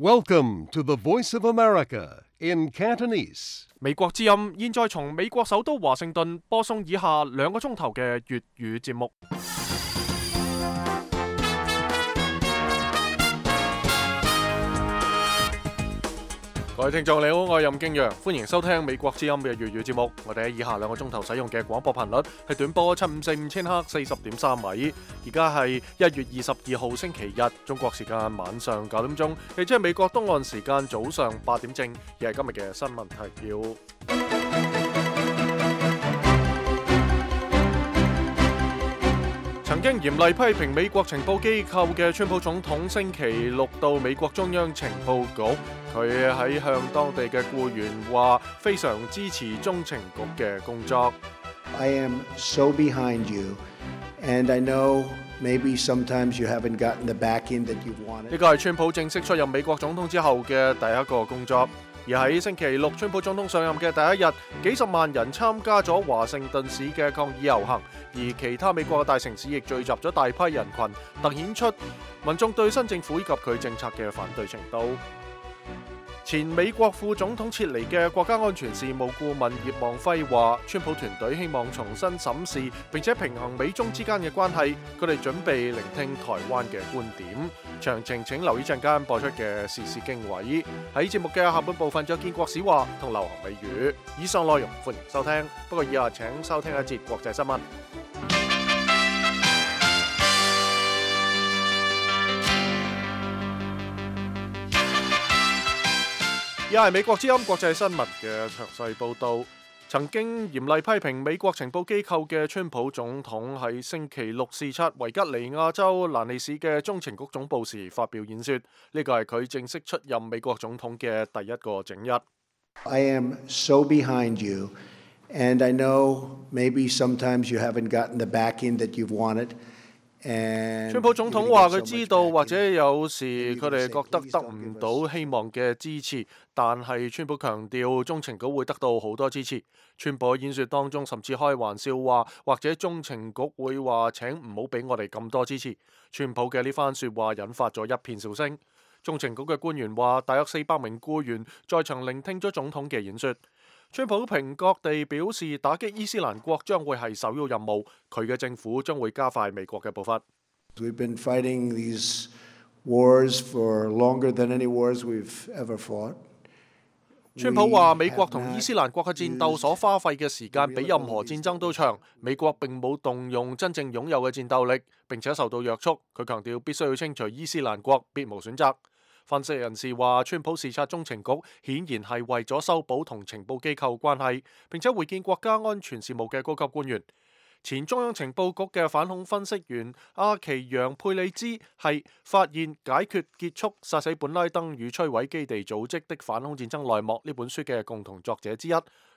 Welcome to the Voice of America in Cantonese. 美國之音現在從美國首都華盛頓播送以下2個鐘頭嘅粵語節目。各位聽眾你好，我係任敬陽，歡迎收聽美國之音嘅粵語節目。我哋喺以下2個鐘頭使用嘅廣播頻率係短波7545千赫40.3米。而家係1月22號星期日，中國時間晚上9點鐘，亦即係美國東岸時間早上8點正。而係今日嘅新聞提要。曾經嚴厲批評美國情報機構嘅川普總統星期六到美國中央情報局，佢喺向當地嘅僱員話非常支持中情局嘅工作。I am so behind you, and I know maybe sometimes you haven't gotten the backing that you wanted. 呢個係川普正式出任美國總統之後嘅第一個工作。而喺星期六，川普總統上任嘅第一日，幾十萬人參加咗華盛頓市嘅抗議遊行，而其他美國嘅大城市亦聚集咗大批人群，凸顯出民眾對新政府以及佢政策嘅反對程度。前美國副總統撤離嘅國家安全事務顧問葉望輝話，川普團隊希望重新審視並且平衡美中之間嘅關係，佢哋準備聆聽台灣嘅觀點。詳情請留意陣間播出嘅時事經緯。喺節目嘅下半部分就有建國史話同流行美語。以上內容歡迎收聽，不過以下請收聽一節國際新聞。而係美國之音國際新聞嘅詳細報導。曾經嚴厲批評美國情報機構嘅川普總統喺星期六視察維吉尼亞州蘭利市嘅中情局總部時發表演說，呢個係佢正式出任美國總統嘅第一個整日。I am so behind you, and I know maybe sometimes you haven't gotten the backing that you've wanted. 川普總統話佢知道或者有時佢哋覺得得唔到希望嘅支持，但係川普強調中情局會得到好多支持。川普喺演說當中甚至開玩笑話，或者中情局會話請唔好俾我哋咁多支持。川普嘅呢番說話引發咗一片笑聲。中情局嘅官員話，大約400名僱員在場聆聽咗總統嘅演說。川普平覺地表示，打擊伊斯蘭國將會係首要任務，佢嘅政府將會加快美國嘅步伐。We've been fighting these wars for longer than any wars we've ever fought. 川普話，美國同伊斯蘭國嘅戰鬥所花費嘅時間比任何戰爭都長，美國並冇動用真正擁有嘅戰鬥力，並且受到約束。佢強調必須要清除伊斯蘭國，別無選擇。分析人士話，川普視察中情局顯然係為咗修補同情報機構關係，並且會見國家安全事務嘅高級官員。前中央情報局嘅反恐分析員阿奇揚佩里茲係發現解決結束殺死本拉登與摧毀基地組織的反恐戰爭內幕呢本書嘅共同作者之一。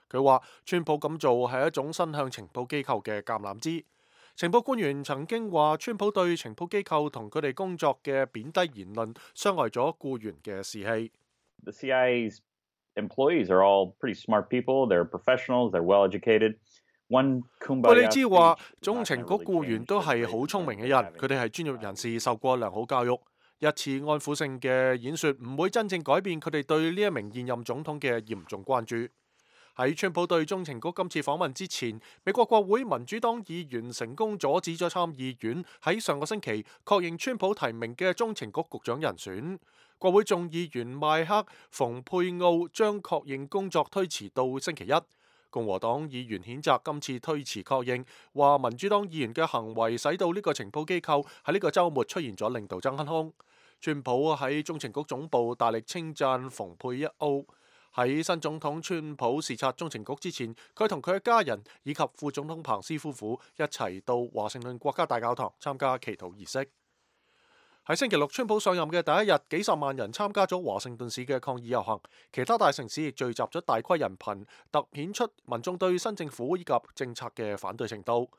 佢話川普咁做係一種伸向情報機構嘅橄欖枝。情報官員曾經話，川普對情報機構同佢哋工作嘅貶低言論傷害咗僱員嘅士氣。The CIA's employees are all pretty smart people. They're professionals. They're well educated. 佩里茲話，中情局僱員都係好聰明嘅人，佢哋係專業人士，受過良好教育。一次安撫性嘅演說唔會真正改變佢哋對呢一名現任總統嘅嚴重關注。喺川普對中情局今次訪問之前，美國國會民主黨議員成功阻止咗參議院喺上個星期確認川普提名嘅中情局局長人選。國會眾議員麥克馮佩奧將確認工作推遲到星期一。共和黨議員譴責今次推遲確認，話民主黨議員嘅行為使到呢個情報機構喺呢個週末出現咗領導真空。川普喺中情局總部大力稱讚馮佩奧。喺新總統川普視察中情局之前，佢同佢嘅家人以及副總統彭斯夫婦一齊到華盛頓國家大教堂參加祈禱儀式。喺星期六，川普上任嘅第一日，幾十萬人參加咗華盛頓市嘅抗議遊行，其他大城市亦聚集咗大規人群，凸顯出民眾對新政府以及政策嘅反對程度。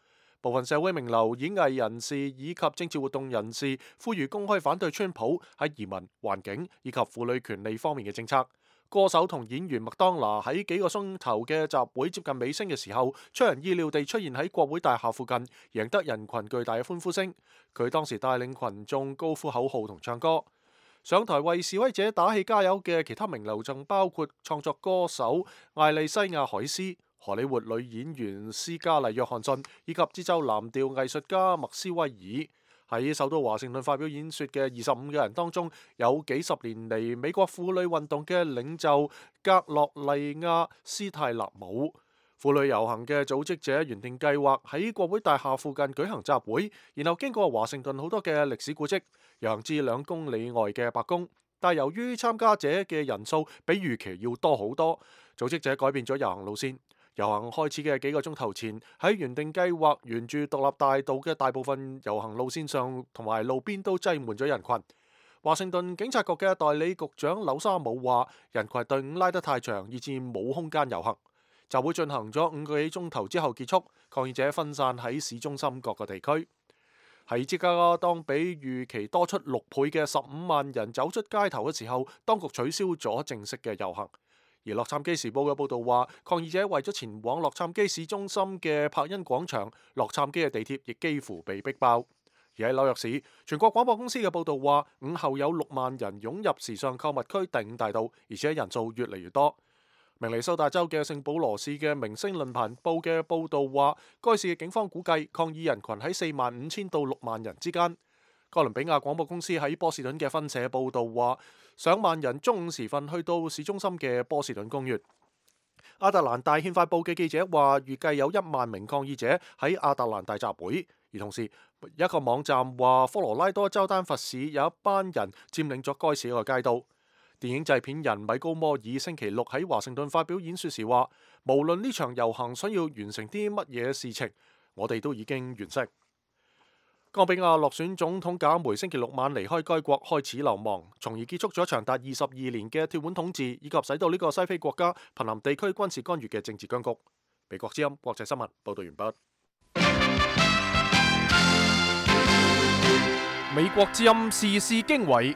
部分社會名流、演藝人士以及政治活動人士呼籲公開反對川普喺移民、環境以及婦女權利方面嘅政策。歌手同演員麥當娜喺幾個鐘頭嘅集會接近尾聲嘅時候，出人意料地出現喺國會大廈附近，贏得人群巨大嘅歡呼聲。佢當時帶領群眾高呼口號同唱歌。上台為示威者打氣加油嘅其他名流仲包括創作歌手艾莉西亞海斯、荷里活女演員斯嘉麗約翰遜以及節奏藍調藝術家麥斯威爾。喺首都華盛頓發表演說嘅25個人當中，有幾十年嚟美國婦女運動嘅領袖格洛麗亞斯泰納姆。婦女遊行嘅組織者原定計劃喺國會大廈附近舉行集會，然後經過華盛頓好多嘅歷史古蹟，遊行至2公里外嘅白宮。但由於參加者嘅人數比預期要多好多，組織者改變咗遊行路線。遊行開始嘅幾個鐘頭前，喺原定計劃沿住獨立大道嘅大部分遊行路線上同埋路邊都擠滿咗人群。華盛頓警察局嘅代理局長紐沙姆話：人群隊伍拉得太長，以致冇空間遊行。集會進行咗5個幾鐘頭之後結束，抗議者分散喺市中心各個地區。喺芝加哥，當比預期多出6倍嘅15萬人走出街頭嘅時候，當局取消咗正式嘅遊行。而洛杉磯時報嘅報導話，抗議者為咗前往洛杉磯市中心嘅柏恩廣場，洛杉磯嘅地鐵亦幾乎被逼爆。而喺紐約市，全國廣播公司嘅報導話，午後有6萬人湧入時尚購物區第5大道，而且人數越嚟越多。明尼蘇達州嘅聖保羅市嘅明星論壇報嘅報導話，該市嘅警方估計抗議人群喺45,000到6萬人之間。哥倫比亞廣播公司喺波士頓嘅分社報導話，上萬人中午時分去到市中心嘅波士頓公園。亞特蘭大憲法報嘅記者話，預計有1萬名抗議者喺亞特蘭大集會。而同時，一個網站話，科羅拉多州丹佛市有一班人佔領咗該市一個街道。電影製片人米高摩爾星期六喺華盛頓發表演說時話，無論呢場遊行想要完成啲乜嘢事情，我哋都已經完成。岡比亞落選總統賈梅星期六晚離開該國，開始流亡，從而結束咗長達22年嘅鐵腕統治，以及使到呢個西非國家瀕臨地區軍事干預嘅政治僵局。美國之音國際新聞報道完畢。美國之音時事經緯。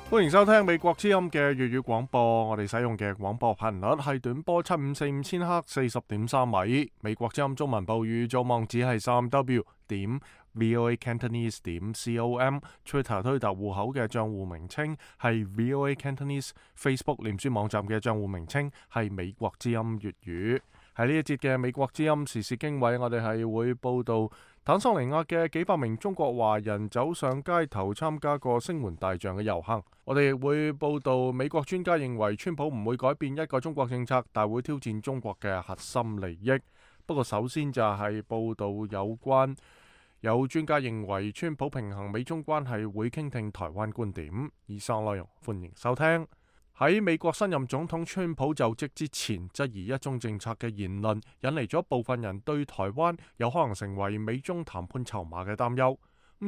歡迎收聽美國之音嘅粵語廣播，我哋使用嘅廣播頻率係短波754千赫40.3米。美國之音中文部語組網址係3w.voacantonese.com，Twitter 推特戶口嘅賬戶名稱係 VOA Cantonese，Facebook 臉書網站嘅賬戶名稱係美國之音粵語。喺呢一節嘅美國之音時事經緯，我哋係會報道坦桑尼亞嘅幾百名中國華人走上街頭參加過聲援大象嘅遊行。我哋亦會報道美國專家認為川普唔會改變一個中國政策，但會挑戰中國嘅核心利益。不過首先就係報道有專家認為川普平衡美中關係會傾聽台灣觀點。以上內容歡迎收聽。喺美國新任總統川普就職之前，質疑一中政策嘅言論，引嚟咗部分人對台灣有可能成為美中談判籌碼嘅擔憂。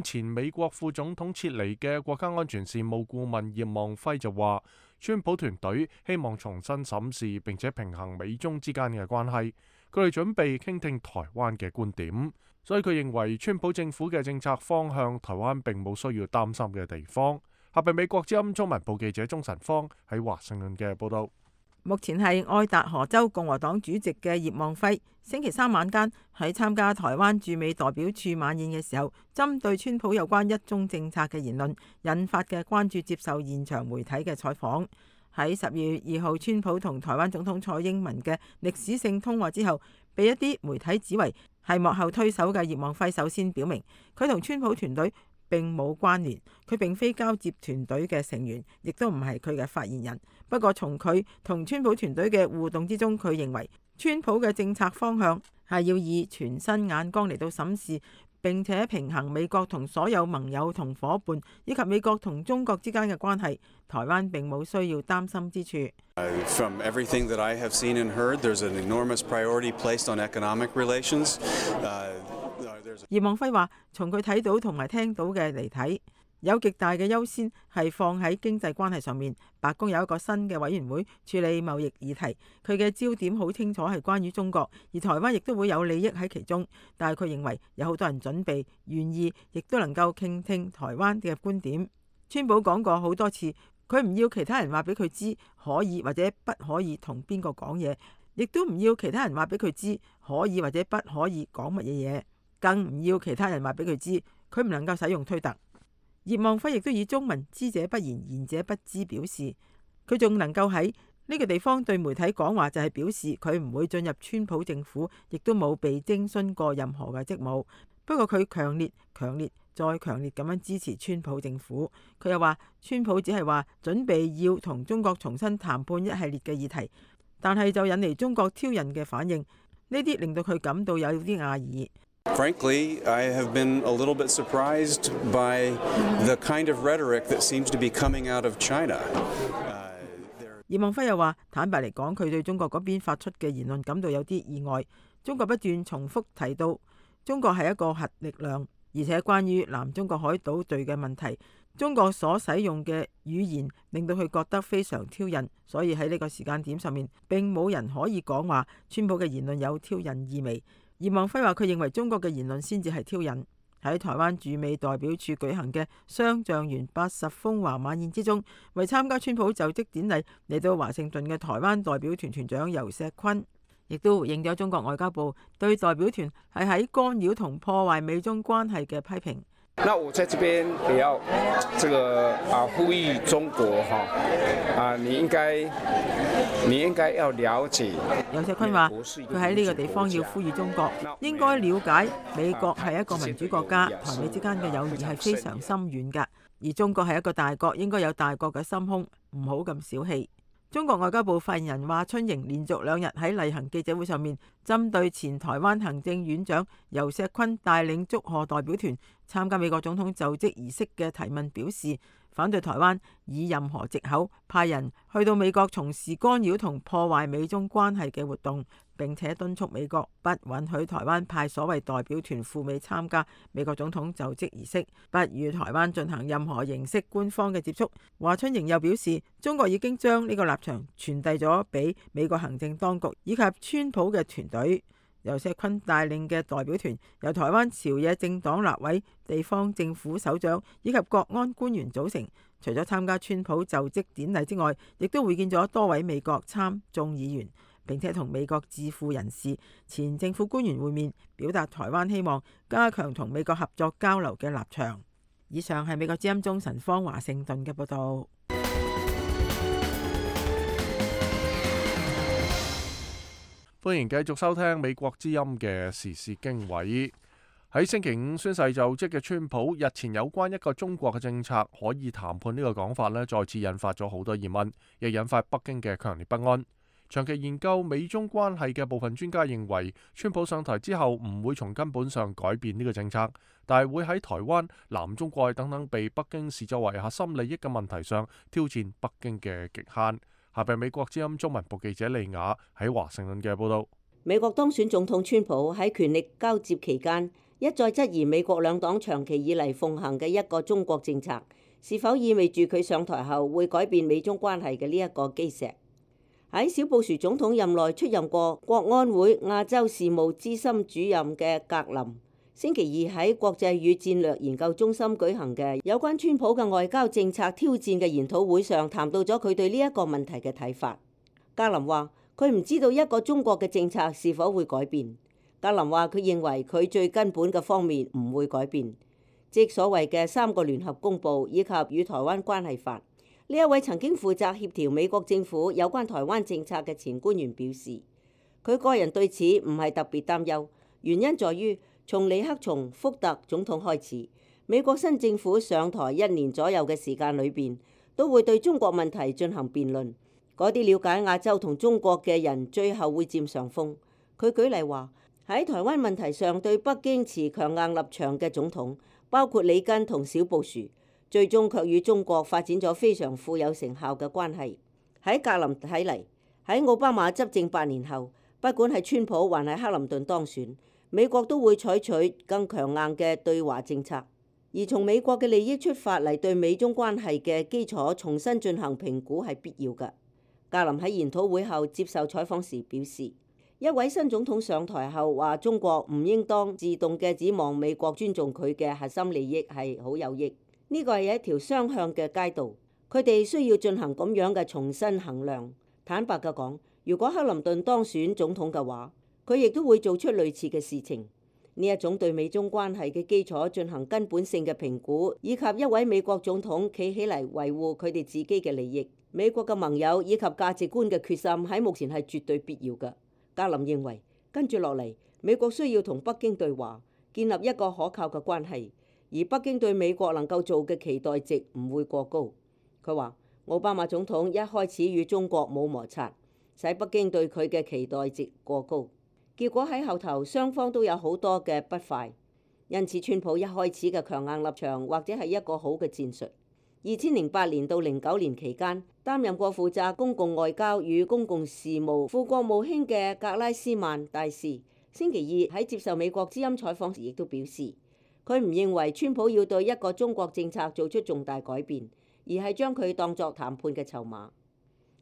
前美國副總統撤離嘅國家安全事務顧問葉望輝就話，川普團隊希望重新審視並且平衡美中之間嘅關係，佢哋準備傾聽台灣嘅觀點，所以佢認為川普政府嘅政策方向，台灣並冇需要擔心嘅地方。下邊美國之音中文部記者鍾晨芳喺華盛頓嘅報道。目前係愛達荷州共和黨主席嘅葉望輝，星期3晚間喺參加台灣駐美代表處晚宴嘅時候，針對川普有關一中政策嘅言論引發嘅關注，接受現場媒體嘅採訪。喺12月2號，川普同台灣總統蔡英文嘅歷史性通話之後，被一啲媒體指為係幕後推手嘅葉望輝，首先表明佢同川普團隊並冇關聯，佢並非交接團隊嘅成員，亦都唔係佢嘅發言人。不過從佢同川普團隊嘅互動之中，佢認為川普嘅政策方向係要以全新眼光嚟到審視，並且平衡美國同所有盟友同夥伴，以及美國同中國之間嘅關係。台灣並冇需要擔心之處。From everything that I have seen and heard, there's an enormous priority placed on economic relations. 葉望輝話：從佢睇到同埋聽到嘅嚟睇，有極大嘅優先係放喺經濟關係上面。白宮有一個新嘅委員會處理貿易議題，佢嘅焦點好清楚係關於中國，而台灣亦都會有利益喺其中。但係佢認為有好多人準備、願意，亦都能夠傾聽台灣嘅觀點。川普講過好多次，佢唔要其他人話俾佢知可以或者不可以同邊個講嘢，亦都唔要其他人話俾佢知可以或者不可以講乜嘢嘢。更唔要其他人話俾佢知，佢唔能夠使用推特。葉望輝亦都以中文知者不言，言者不知表示，佢仲能夠喺呢個地方對媒體講話，就係表示佢唔會進入川普政府，亦都冇被徵詢過任何嘅職務。不過佢強烈再強烈咁樣支持川普政府。佢又話川普只係話準備要同中國重新談判一系列嘅議題，但係就引嚟中國挑釁嘅反應，呢啲令到佢感到有啲訝異。Frankly, I have been a little bit surprised by the kind of rhetoric that seems to be coming out of China. 葉望輝又話，坦白嚟講，佢對中國嗰邊發出嘅言論感到有啲意外。中國不斷重複提到中國係一個核力量，而且關於南中國海島隊嘅問題，中國所使用嘅語言令到佢覺得非常挑釁，所以喺呢個時間點上面並冇人可以講話川普嘅言論有挑釁意味。葉望輝話佢認為中國嘅言論先至係挑釁。喺台灣駐美代表處舉行嘅雙橡園80風華晚宴之中，為參加川普就職典禮嚟到華盛頓嘅台灣代表團團長游錫堃，亦都回應咗中國外交部對代表團係喺干擾同破壞美中關係嘅批評。那我在這邊也要呼籲中國你應該要了解。游錫堃話佢喺呢個地方要呼籲中國應該了解美國係一個民主國家，台美之間嘅友誼係非常深遠㗎，而中國係一個大國，應該有大國嘅心胸，唔好咁小氣。中國外交部發言人華春瑩連續2日喺例行記者會上面，針對前台灣行政院長游錫堃帶領祝賀代表團參加美國總統就職儀式嘅提問表示，反對台灣以任何藉口派人去到美國從事干擾同破壞美中關係嘅活動，並且敦促美國不允許台灣派所謂代表團赴美參加美國總統就職儀式，不與台灣進行任何形式官方嘅接觸。華春瑩又表示，中國已經將呢個立場傳遞咗俾美國行政當局以及川普嘅團隊。游錫堃帶領嘅代表團由台灣朝野政黨立委、地方政府首長以及國安官員組成，除咗參加川普就職典禮之外，亦都會見咗多位美國參眾議員，並且同美國智庫人士、前政府官員會面，表達台灣希望加強同美國合作交流嘅立場。以上係美國之音中神方華盛頓嘅報道。歡迎繼續收聽美國之音嘅時事經緯。喺星期5宣誓就職嘅川普日前有關一個中國嘅政策可以談判呢個講法呢，再次引發咗好多疑問，亦引發北京嘅強烈不安。長期研究美中關係嘅部分專家認為，川普上台之後唔會從根本上改變呢個政策，但係會喺台灣、南中國等等被北京視作為核心利益嘅問題上挑戰北京嘅極限。下邊美國之音中文部記者利雅喺華盛頓嘅報道。美國當選總統川普喺權力交接期間一再質疑美國兩黨長期以嚟奉行嘅一個中國政策是否意味住佢上台後會改變美中關係嘅呢一個基石。喺小布殊總統任內出任過國安會亞洲事務資深主任嘅格林，星期二喺國際與戰略研究中心舉行嘅有關川普嘅外交政策挑戰嘅研討會上，談到咗佢對呢一個問題嘅睇法。格林話佢唔知道一個中國嘅政策是否會改變。格林話佢認為佢最根本嘅方面唔會改變，即所謂嘅3個聯合公報以及與台灣關係法。呢一位曾經負責協調美國政府有關台灣政策嘅前官員表示，佢個人對此唔係特別擔憂，原因在於從尼克松、福特總統開始，美國新政府上台1年左右嘅時間裏邊，都會對中國問題進行辯論。嗰啲了解亞洲同中國嘅人最後會佔上風。佢舉例話，喺台灣問題上對北京持強硬立場嘅總統，包括里根同小布殊，最終卻與中國發展咗非常富有成效嘅關係。喺格林睇嚟，喺奧巴馬執政8年後，不管係川普還係克林頓當選，美國都會採取更強硬嘅對華政策，而從美國嘅利益出發嚟對美中關係嘅基礎重新進行評估係必要嘅。格林喺研討會後接受採訪時表示，一位新總統上台後話中國唔應當自動嘅指望美國尊重佢嘅核心利益係好有益，呢個係一條雙向嘅街道，佢哋需要進行咁樣嘅重新衡量。坦白嘅講，如果克林頓當選總統嘅話，佢亦都會做出類似嘅事情。呢一種對美中關係嘅基礎進行根本性嘅評估，以及一位美國總統企起嚟維護佢哋自己嘅利益，美國嘅盟友以及價值觀嘅決心喺目前係絕對必要嘅。格林認為，跟住落嚟，美國需要同北京對話，建立一個可靠嘅關係，而北京對美國能夠做嘅期待值唔會過高。佢話，奧巴馬總統一開始與中國冇摩擦，使北京對佢嘅期待值過高。結果喺後頭雙方都有好多嘅不快，因此川普一開始嘅強硬立場或者係一個好嘅戰術。2008年到09年期間，擔任過負責公共外交與公共事務副國務卿嘅格拉斯曼大使，星期二喺接受美國之音採訪時亦都表示，佢唔認為川普要對一個中國政策做出重大改變，而係將佢當作談判嘅籌碼。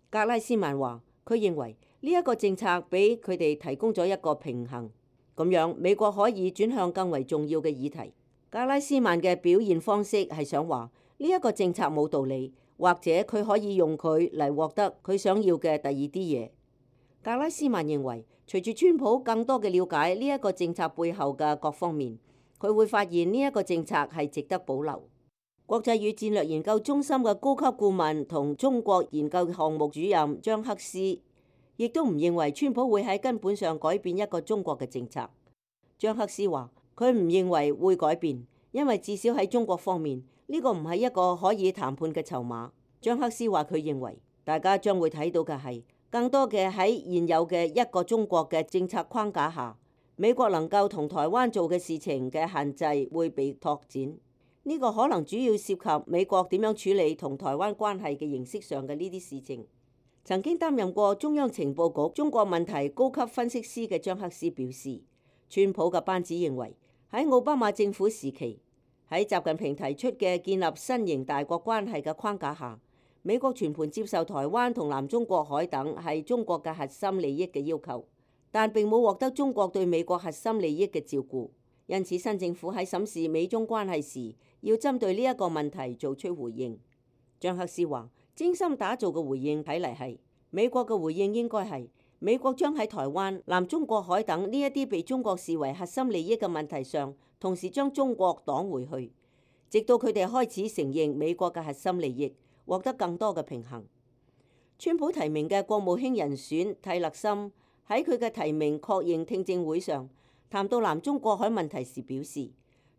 格拉斯曼話，佢認為呢一個政策俾佢哋提供咗一個平衡，咁樣美國可以轉向更為重要嘅議題。格拉斯曼嘅表現方式係想話呢一個政策冇道理，或者佢可以用佢嚟獲得佢想要嘅第二啲嘢。格拉斯曼認為，隨住川普更多嘅了解呢一個政策背後嘅各方面，佢會發現呢一個政策係值得保留。國際與戰略研究中心嘅高級顧問同中國研究項目主任張克斯亦都唔認為川普會喺根本上改變一個中國嘅政策。張克斯話，佢唔認為會改變，因為至少喺中國方面，呢個唔係一個可以談判嘅籌碼。張克斯話，佢認為大家將會睇到嘅係更多嘅喺現有嘅一個中國嘅政策框架下，美國能夠同台灣做嘅事情嘅限制會被拓展。呢個可能主要涉及美國點樣處理同台灣關係嘅形式上嘅呢啲事情。曾經擔任過中央情報局中國問題高級分析師嘅張克斯表示，川普嘅班子認為喺奧巴馬政府時期，喺習近平提出嘅建立新型大國關係嘅框架下，美國全盤接受台灣同南中國海等係中國嘅核心利益嘅要求，但並冇獲得中國對美國核心利益嘅照顧。因此，新政府喺審視美中關係時，要針對呢一個問題做出回應。張克斯話，精心打造嘅回應睇嚟係美國嘅回應應該係美國將喺台灣、南中國海等呢一啲被中國視為核心利益嘅問題上，同時將中國擋回去，直到佢哋開始承認美國嘅核心利益，獲得更多嘅平衡。川普提名嘅國務卿人選蒂勒森喺佢嘅提名確認聽證會上談到南中國海問題時表示，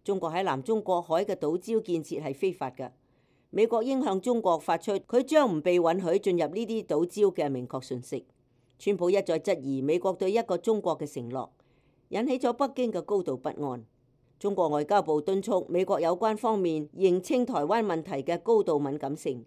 中國喺南中國海嘅島礁建設係非法嘅，美國應向中國發出佢將唔被允許進入呢啲島礁嘅明確訊息。川普一再質疑美國對一個中國嘅承諾，引起咗北京嘅高度不安。中國外交部敦促美國有關方面認清台灣問題嘅高度敏感性，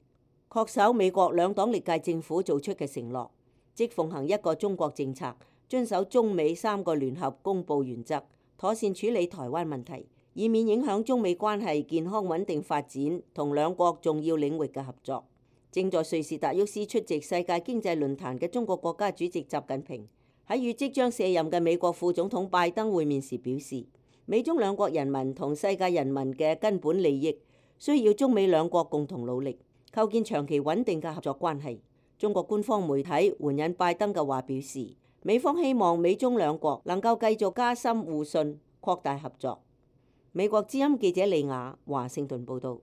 恪守美國兩黨歷屆政府做出嘅承諾，即奉行一個中國政策，遵守中美3個聯合公佈原則，妥善處理台灣問題，以免影響中美關係健康穩定發展同兩國重要領域嘅合作。正在瑞士達沃斯出席世界經濟論壇嘅中國國家主席習近平喺與即將卸任嘅美國副總統拜登會面時表示，美中兩國人民同世界人民嘅根本利益需要中美兩國共同努力，構建長期穩定嘅合作關係。中國官方媒體援引拜登嘅話表示，美方希望美中兩國能夠繼續加深互信，擴大合作。美國之音記者李雅華盛頓報導。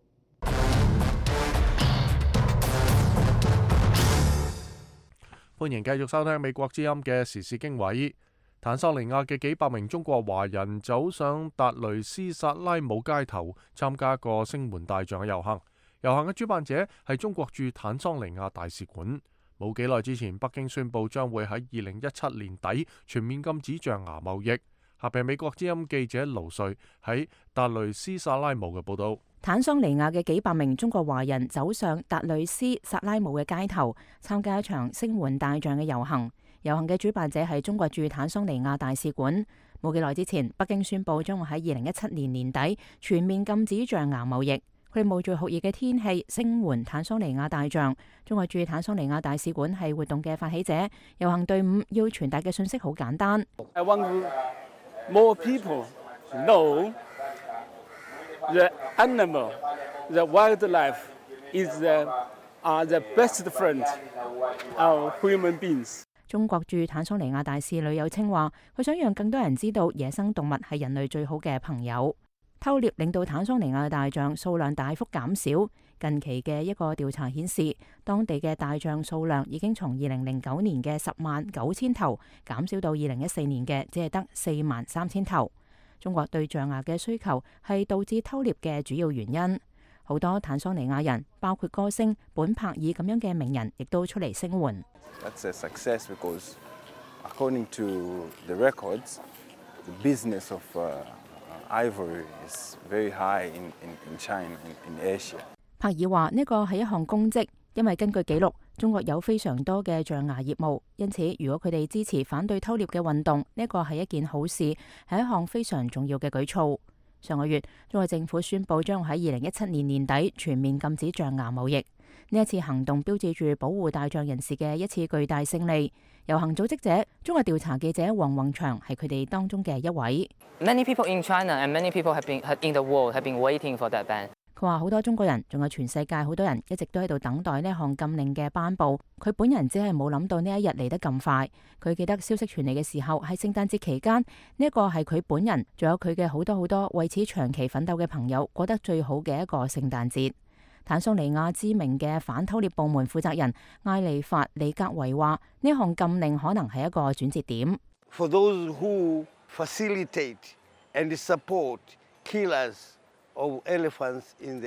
歡迎繼續收聽美國之音嘅時事經緯。坦桑尼亞嘅幾百名中國華人走上達雷斯薩拉姆街頭，參加個聲援大象嘅遊行。遊行嘅主辦者係中國駐坦桑尼亞大使館。冇幾耐之前，北京宣布將會喺2017年底全面禁止象牙貿易。下邊美國之音記者盧瑞喺達雷斯薩拉姆嘅報道。坦桑尼亞嘅幾百名中國華人走上達雷斯薩拉姆嘅街頭，參加一場聲援大象嘅遊行。遊行嘅主辦者係中國駐坦桑尼亞大使館。冇幾耐之前，北京宣布將會喺2017年年底全面禁止象牙貿易。佢哋冒住酷熱嘅天氣聲援坦桑尼亞大象。中國駐坦桑尼亞大使館係活動嘅發起者。遊行隊伍要傳達嘅信息好簡單。I want more people know the animal, the wildlife is the best friend of human beings. 中國駐坦桑尼亞大使呂有清話，佢想讓更多人知道野生動物係人類最好嘅朋友。偷獵令到坦桑尼亞大象數量大幅減少。近期嘅一個調查顯示，當地嘅大象數量已經從2009年嘅109000頭減少到2014年嘅只係得43000頭。中國對象牙嘅需求係導致偷獵嘅主要原因。好多坦桑尼亞人，包括歌星本柏爾咁樣嘅名人，亦都出嚟聲援。That's a success because, according to the records, the business of ivory is very high in China, in Asia. 柏爾話呢個係一項功績，因為根據記錄，中國有非常多嘅象牙業務，因此如果佢哋支持反對偷獵嘅運動，呢個係一件好事，係一項非常重要嘅舉措。上個月，中國政府宣布將喺2017年年底全面禁止象牙貿易。呢一次行動標誌住保護大象人士嘅一次巨大勝利。遊行組織者、中國調查記者黃宏祥係佢哋當中嘅一位。Many people in China and many people have been in the world have been waiting for that ban. 佢話好多中國人，仲有全世界好多人一直都喺度等待呢項禁令嘅頒布。佢本人只係冇諗到呢一日嚟得咁快。佢記得消息傳嚟嘅時候係聖誕節期間，呢一個係佢本人，仲有佢嘅好多為此長期奮鬥嘅朋友過得最好嘅一個聖誕節。坦桑尼亞知名嘅反偷獵部門負責人艾利法里格維話：呢項禁令可能係一個轉折點。For those who facilitate and support killers of elephants in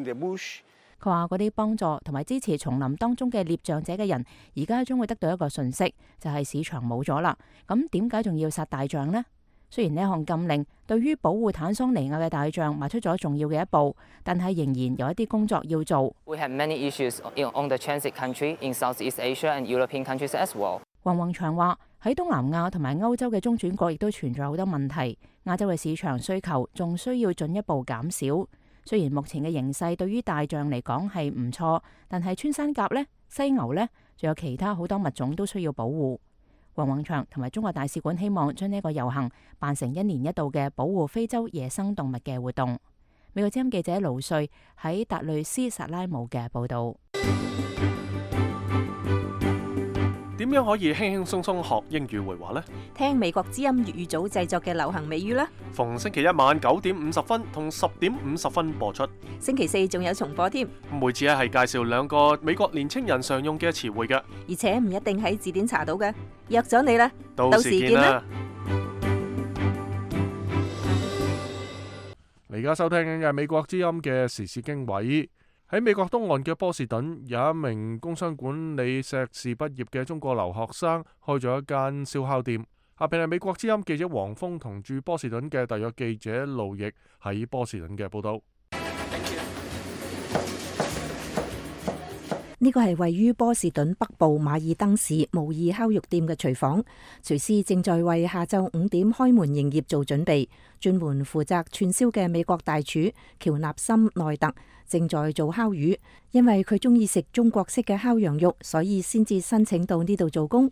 the bush， 佢話嗰啲幫助同埋支持叢林當中嘅獵象者嘅人，而家將會得到一個訊息，就係市場冇咗啦。咁點解仲要殺大象呢？雖然呢項禁令對於保護坦桑尼亞嘅大象邁出咗重要嘅一步，但係仍然有一啲工作要做。We have many issues on the transit country in Southeast Asia and European countries as well。黃宏祥話喺東南亞同埋歐洲嘅中轉國亦都存在好多問題，亞洲嘅市場需求仲需要進一步減少。雖然目前嘅形勢對於大象嚟講係唔錯，但係穿山甲呢、犀牛呢，仲有其他好多物種都需要保護。黃宏祥同埋中國大使館希望將呢個遊行辦成1年1度嘅保護非洲野生動物嘅活動。美國之音記者盧瑞喺達累斯薩拉姆嘅報導。點樣可以輕輕鬆鬆學英語會話呢？聽美國之音粵語組製作嘅流行美語啦！逢星期一晚9點50分同10點50分播出。星期四仲有重播添。每次係介紹2個美國年青人常用嘅詞彙嘅，而且唔一定喺字典查到嘅。約咗你啦，到時見啦！你而家收聽緊嘅美國之音嘅時事經緯。喺美國東岸嘅波士頓，有一名工商管理碩士畢業嘅中國留學生開咗一間燒烤店。下邊係美國之音記者黃峰同駐波士頓嘅特約記者盧奕喺波士頓嘅報道。呢個係位於波士頓北部馬爾登市模擬烤肉店嘅廚房，廚師正在為下晝5點開門營業做準備。專門負責串燒嘅美國大廚喬納森內特正在做烤魚，因為佢中意食中國式嘅烤羊肉，所以先至申請到呢度做工。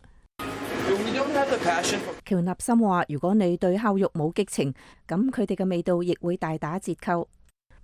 喬納森話：如果你對烤肉冇激情，咁佢哋嘅味道亦會大打折扣。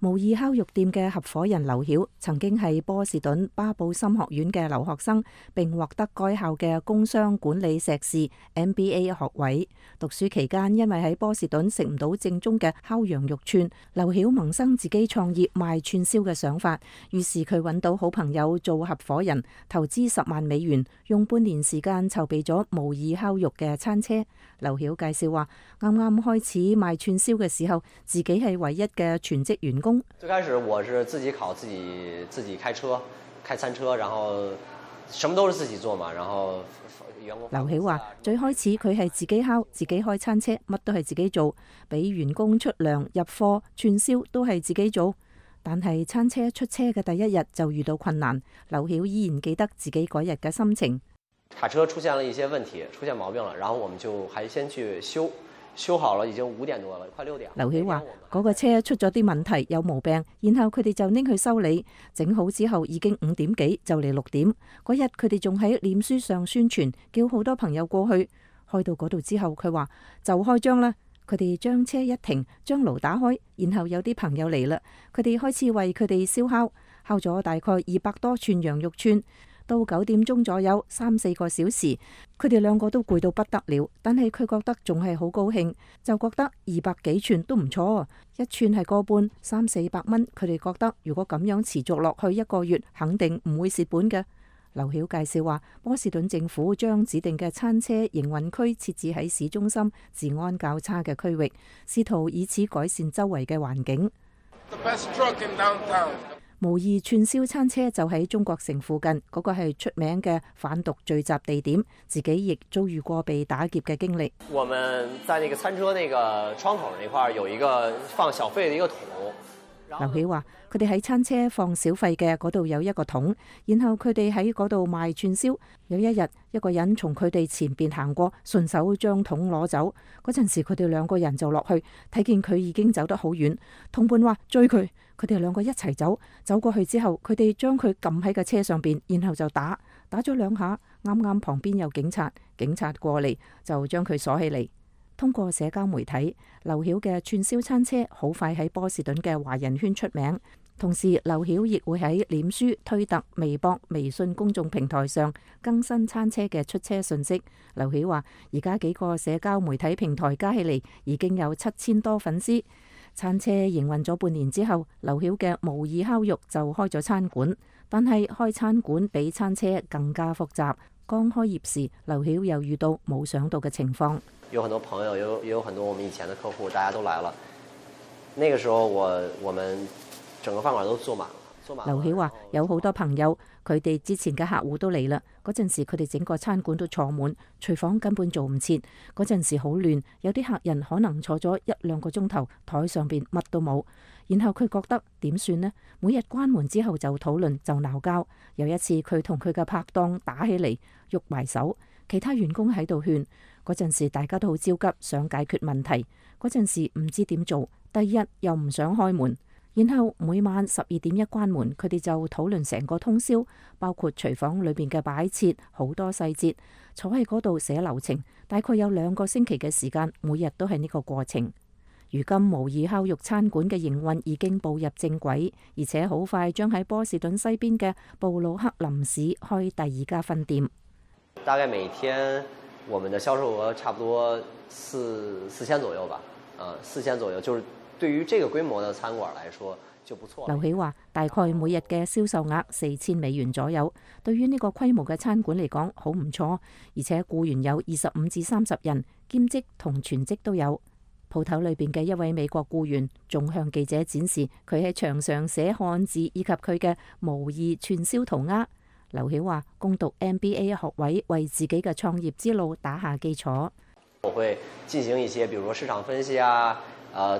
模擬烤肉店嘅合夥人劉曉曾經係波士頓巴布森學院嘅留學生，並獲得該校嘅工商管理碩士 MBA 學位。讀書期間，因為喺波士頓食唔到正宗嘅烤羊肉串，劉曉萌生自己創業賣串燒嘅想法。於是佢揾到好朋友做合夥人，投資10萬美元，用半年時間籌備咗模擬烤肉嘅餐車。劉曉介紹話：啱啱開始賣串燒嘅時候，自己係唯一嘅全職員工。最開始我是自己烤，自己開車，開餐車，然後什麼都是自己做嘛，然後員工。劉曉話：最開始佢係自己烤，自己開餐車，乜都係自己做，俾員工出糧、入貨、串燒都係自己做。但係餐車出車嘅第一日就遇到困難，劉曉依然記得自己嗰日嘅心情。卡車出現了一些問題，出現毛病了，然後我們就還先去修好了，已經5點多了，快6點。劉曉話：嗰個車出咗啲問題，有毛病，然後佢哋就拎去修理，整好之後已經5點幾，就嚟6點。嗰日佢哋仲喺臉書上宣傳，叫好多朋友過去。開到嗰度之後，佢話就開張啦。佢哋將車一停，將爐打開，然後有啲朋友嚟啦，佢哋開始為佢哋燒烤，烤咗大概200多串羊肉串。到9點鐘左右，3-4個小時，佢哋兩個都攰到不得了。但係佢覺得仲係好高興，就覺得200幾寸都唔錯，一寸係個半，300-400蚊。佢哋覺得如果咁樣持續落去1個月，肯定唔會蝕本嘅。劉曉介紹話，波士頓政府將指定嘅餐車營運區設置喺市中心治安較差嘅區域，試圖以此改善周圍嘅環境。模擬串燒餐車就喺中國城附近，嗰個係出名嘅販毒聚集地點，自己亦遭遇過被打劫嘅經歷。我們在那個餐車那個窗口那塊有一個放小費的一個桶。劉曉話：佢哋喺餐車放小費嘅嗰度有一個桶，然後佢哋喺嗰度賣串燒。有一日，一個人從佢哋前邊行過，順手將桶攞走。嗰陣時，佢哋兩個人就落去，睇見佢已經走得好遠。同伴話追佢，佢哋兩個一齊走。走過去之後，佢哋將佢撳喺個車上邊，然後就打咗2下。啱啱旁邊有警察過嚟就將佢鎖起嚟。通過社交媒體，劉曉嘅串燒餐車好快喺波士頓嘅華人圈出名。同時，劉曉亦會喺臉書、推特、微博、微信公眾平台上更新餐車嘅出車信息。劉曉話：而家幾個社交媒體平台加起嚟已經有7000多粉絲。餐車營運咗半年之後，劉曉嘅模擬烤肉就開咗餐館，但係開餐館比餐車更加複雜。剛開業時，劉曉又遇到冇想到嘅情況。有很多朋友，也有很多我們以前的客戶，大家都來了。那個時候我們整個飯館都坐滿了。劉曉話：有好多朋友，佢哋之前嘅客戶都嚟啦。嗰陣時佢哋整個餐館都坐滿，廚房根本做唔切。嗰陣時好亂，有啲客人可能坐咗1-2個鐘頭，台上邊乜都冇。然後佢覺得點算呢？每日關門之後就討論，就鬧交。有一次佢同佢嘅拍檔打起嚟，喐埋手。其他員工喺度勸。嗰陣時大家都好焦急，想解決問題。嗰陣時唔知點做，第2日又唔想開門。然後每晚12點一關門，佢哋就討論成個通宵，包括廚房裏邊嘅擺設，好多細節。坐喺嗰度寫流程，大概有2個星期嘅時間，每日都係呢個過程。如今模擬烤肉餐館嘅營運已經步入正軌，而且好快將喺波士頓西邊嘅布魯克林市開第2家分店。大概每天我們的銷售額差不多4000左右吧，4000左右，就是對於這個規模的餐館來說就不錯。劉曉話：大概每日嘅銷售額$4000左右，對於呢個規模嘅餐館嚟講好唔錯，而且僱員有25至30人，兼職同全職都有。鋪頭裏邊嘅一位美國僱員仲向記者展示佢喺牆上寫漢字以及佢嘅模擬串燒塗鴉。劉曉話：攻讀 MBA 學位，為自己嘅創業之路打下基礎。我會進行一些，比如說市場分析啊，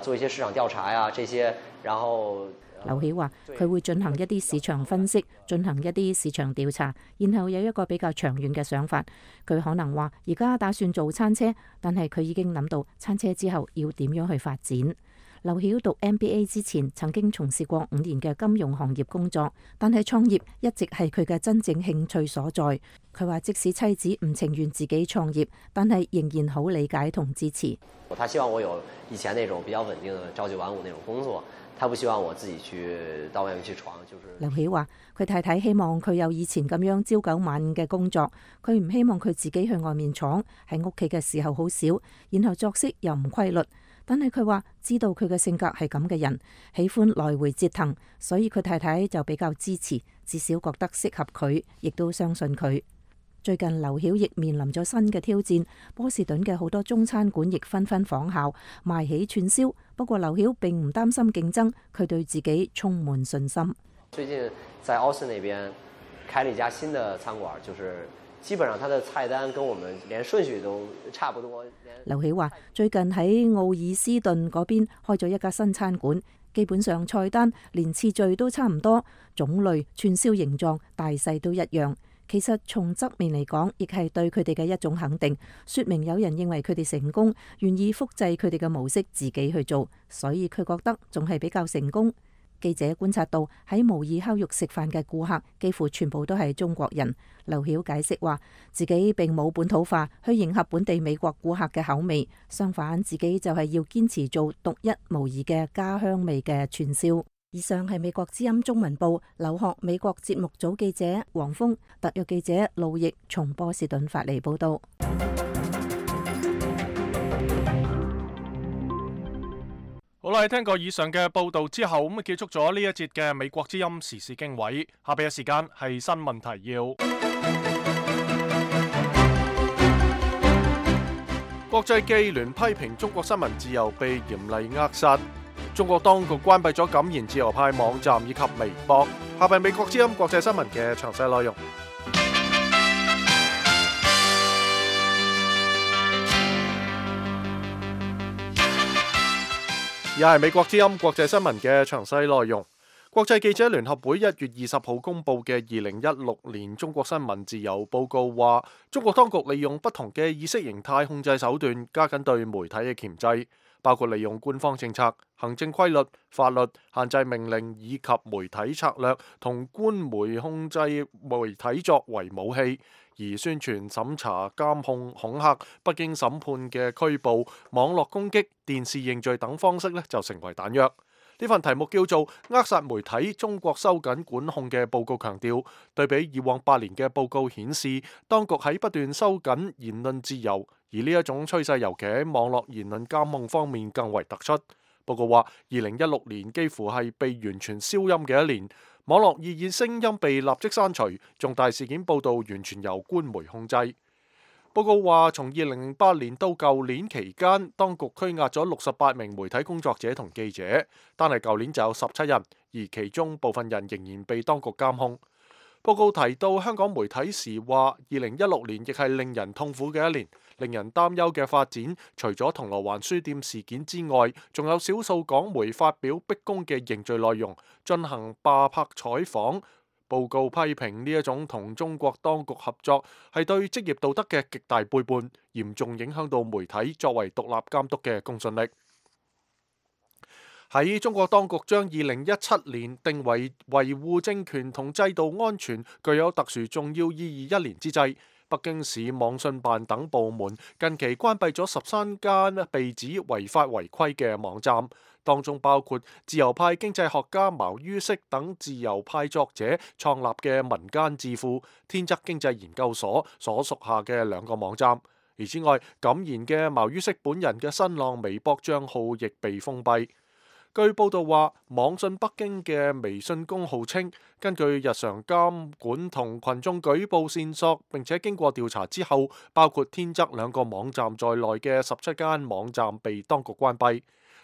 做一些市場調查呀，這些，然後。劉曉話：佢會進行一啲市場分析，進行一啲市場調查，然後有一個比較長遠嘅想法。佢可能話而家打算做餐車，但係佢已經諗到餐車之後要點樣去發展。劉曉讀 MBA 之前曾經從事過5年嘅金融行業工作，但係創業一直係佢嘅真正興趣所在。佢話即使妻子唔情願自己創業，但係仍然好理解同支持。他希望我有以前那種比較穩定的朝9晚5那種工作，他不希望我自己去到外面去闖。就是劉曉話佢太太希望佢有以前咁樣朝9晚5嘅工作，佢唔希望佢自己去外面闖，喺屋企嘅時候好少，然後作息又唔規律。但係佢話知道佢嘅性格係咁嘅人，喜歡來回折騰，所以佢太太就比較支持，至少覺得適合佢，亦都相信佢。最近劉曉亦面臨咗新嘅挑戰，波士頓嘅好多中餐館亦紛紛仿效賣起串燒。不過劉曉並唔擔心競爭，佢對自己充滿信心。最近在奧斯那邊開了一家新的餐館，就是基本上它的菜單跟我們連順序都差不多。劉曉話：最近喺奧爾斯頓嗰邊開咗一家新餐館，基本上菜單連次序都差唔多，種類、串燒形狀、大細都一樣。其實從側面嚟講，亦係對佢哋嘅一種肯定，說明有人認為佢哋成功，願意複製佢哋嘅模式自己去做，所以佢覺得仲係比較成功。記者觀察到喺模擬烤肉食飯嘅顧客幾乎全部都係中國人。劉曉解釋話，自己並冇本土化去迎合本地美國顧客嘅口味，相反自己就係要堅持做獨一無二嘅家鄉味嘅串燒。以上係美國之音中文部留學美國節目組記者黃峰、特約記者路易從波士頓發嚟報道。好啦，聽過以上嘅報道之後，咁結束咗呢一節嘅美國之音時事經緯。下邊嘅時間係新聞提要。國際記聯批評中國新聞自由被嚴厲扼殺。中國當局關閉咗敢言自由派網站以及微博。下邊美國之音國際新聞嘅詳細內容。而係美國之音國際新聞嘅詳細內容。國際記者聯合會1月20號公佈嘅2016年中國新聞自由報告話，中國當局利用不同嘅意識形態控制手段，加緊對媒體嘅鉗制，包括利用官方政策、行政規律、法律、限制命令以及媒體策略同官媒控制媒體作為武器。而宣傳、審查、監控、恐嚇、不經審判嘅拘捕、網絡攻擊、電視認罪等方式就成為彈藥。呢份題目叫做《扼殺媒體：中國收緊管控》嘅報告強調，對比以往8年嘅報告顯示，當局喺不斷收緊言論自由，而呢一種趨勢尤其喺網絡言論監控方面更為突出。報告話，2016年幾乎係被完全消音嘅一年。網絡異議聲音被立即刪除，重大事件報導完全由官媒控制。報告話，從2008年到舊年期間，當局拘押咗68名媒體工作者同記者，單係舊年就有17人，而其中部分人仍然被當局監控。報告提到香港媒體時話，2016年亦係令人痛苦嘅一年。令人擔憂嘅發展，除咗銅鑼灣書店事件之外，仲有少數港媒發表逼宮嘅認罪內容，進行霸拍採訪。報告批評呢一種同中國當局合作係對職業道德嘅極大背叛，嚴重影響到媒體作為獨立監督嘅公信力。喺中國當局將2017年定為維護政權同制度安全具有特殊重要意義一年之際，北京市網信辦等部門近期關閉咗13間被指違法違規嘅網站，當中包括自由派經濟學家茅于軾等自由派作者創立嘅民間智庫天則經濟研究所所屬下嘅2個網站。而之外，敢言嘅茅于軾本人嘅新浪微博帳號亦被封閉。據報道話，網信北京嘅微信公號稱，根據日常監管同群眾舉報線索，並且經過調查之後，包括天則2個網站在內嘅17間網站被當局關閉。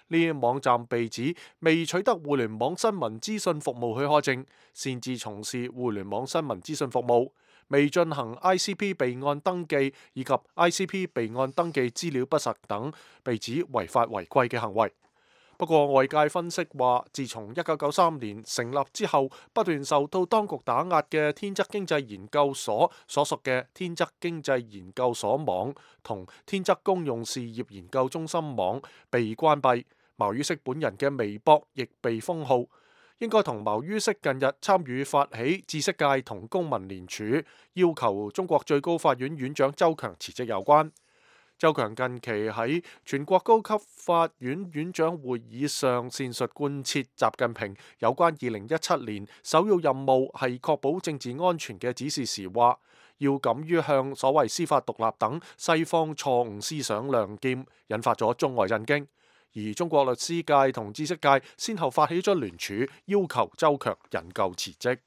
呢啲網站被指未取得互聯網新聞資訊服務許可證，擅自從事互聯網新聞資訊服務，未進行 ICP 備案登記以及 ICP 備案登記資料不實等，被指違法違規嘅行為。不過外界分析話，自從1993年成立之後，不斷受到當局打壓嘅天則經濟研究所所屬嘅天則經濟研究所網同天則公用事業研究中心網被關閉，茅于軾本人嘅微博亦被封號，應該同茅于軾近日參與發起知識界同公民聯署，要求中國最高法院院長周強辭職有關。周強近期喺全國高級法院院長會議上闡述貫徹習近平有關2017年首要任務係確保政治安全嘅指示時話，要敢於向所謂司法獨立等西方錯誤思想亮劍，引發咗中外震驚。而中國律師界同知識界先後發起咗聯署，要求周強引咎辭職。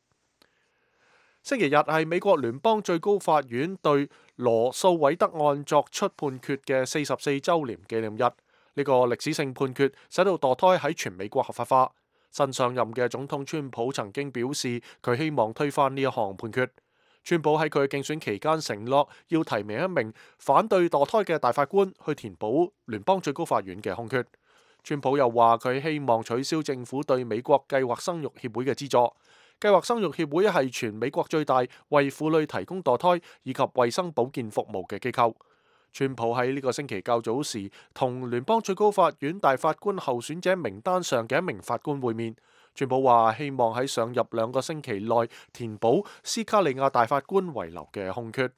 星期日係美國聯邦最高法院對羅素韋德案作出判決嘅44週年紀念日。呢個歷史性判決使到墮胎喺全美國合法化。新上任嘅總統川普曾經表示，佢希望推翻呢一項判決。川普喺佢嘅競選期間承諾要提名一名反對墮胎嘅大法官去填補聯邦最高法院嘅空缺。川普又話佢希望取消政府對美國計劃生育協會嘅資助。計劃生育協會係全美國最大為婦女提供墮胎以及衛生保健服務嘅機構。川普喺呢個星期較早時同聯邦最高法院大法官候選者名單上嘅一名法官會面。川普話希望喺上任2個星期內填補斯卡利亞大法官遺留嘅空缺。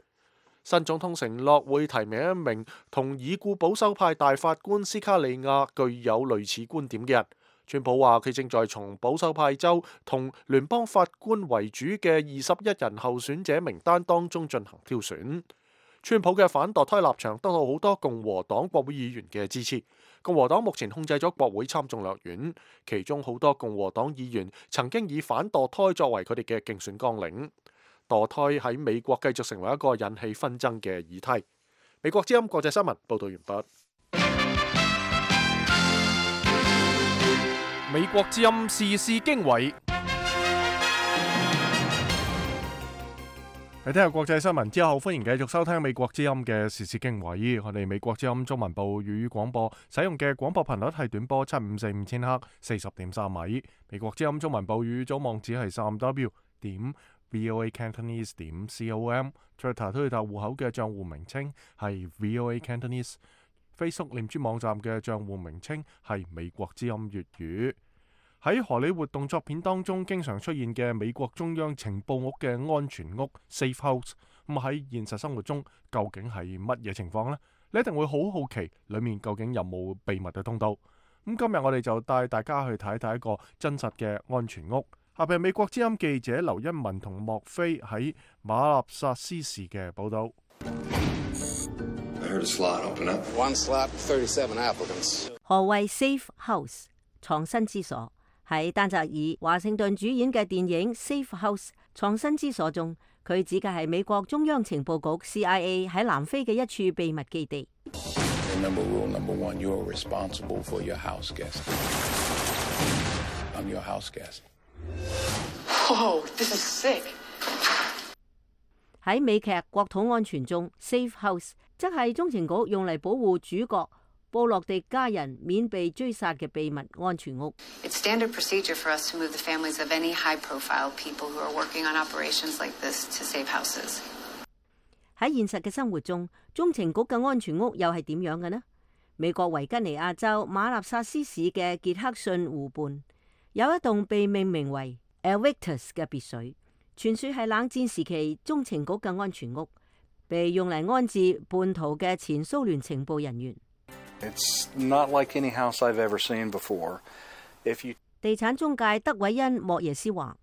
新總統承諾會提名一名同已故保守派大法官斯卡利亞具有類似觀點嘅人。川普話佢正在從保守派州同聯邦法官為主嘅21人候選者名單當中進行挑選。川普嘅反墮胎立場得到好多共和黨國會議員嘅支持。共和黨目前控制咗國會參眾兩院，其中好多共和黨議員曾經以反墮胎作為佢哋嘅競選綱領。墮胎喺美國繼續成為一個引起紛爭嘅議題。美國之音國際新聞報道完畢。美國之音時事經緯。喺聽下國際新聞之後，歡迎繼續收聽美國之音嘅時事經緯。我哋美國之音中文部粵語廣播使用嘅廣播頻率係短波7545千赫40.3米。美國之音中文部粵語組網址係3w.voacantonese.com。Twitter 戶口嘅賬戶名稱係 VOA Cantonese。Facebook 臉書網站嘅賬戶名稱係美國之音粵語。喺荷里活動作片當中經常出現嘅美國中央情報屋嘅安全屋 Safe House， 咁喺現實生活中究竟係乜嘢情況呢？你一定會好好奇裏面究竟有冇秘密嘅通道。咁今日我哋就帶大家去睇睇一個真實嘅安全屋。下邊美國之音記者劉欣文同莫菲喺馬納薩斯市嘅報道。何謂 Safe House 藏身之所？喺丹澤爾華盛頓主演嘅電影《Safe House》藏身之所中，佢指嘅係美國中央情報局 CIA 喺南非嘅一處秘密基地。喺美劇《國土安全》中 ，Safe House 則係中情局用嚟保護主角布洛迪家人免被追殺嘅秘密安全屋。It's standard procedure for us to move the families of any high-profile people who are working on operations like this to safe houses. 喺現實嘅生活中，中情局嘅安全屋又係點樣嘅呢？美國維吉尼亞州馬納薩斯市嘅傑克遜湖畔有一棟被命名為 Invictus 嘅別墅，傳說係冷戰時期中情局嘅安全屋，被用嚟安置叛徒嘅前蘇聯情報人員。It's not like any house I've ever seen before. If you... 地產中介德韋恩莫耶斯話：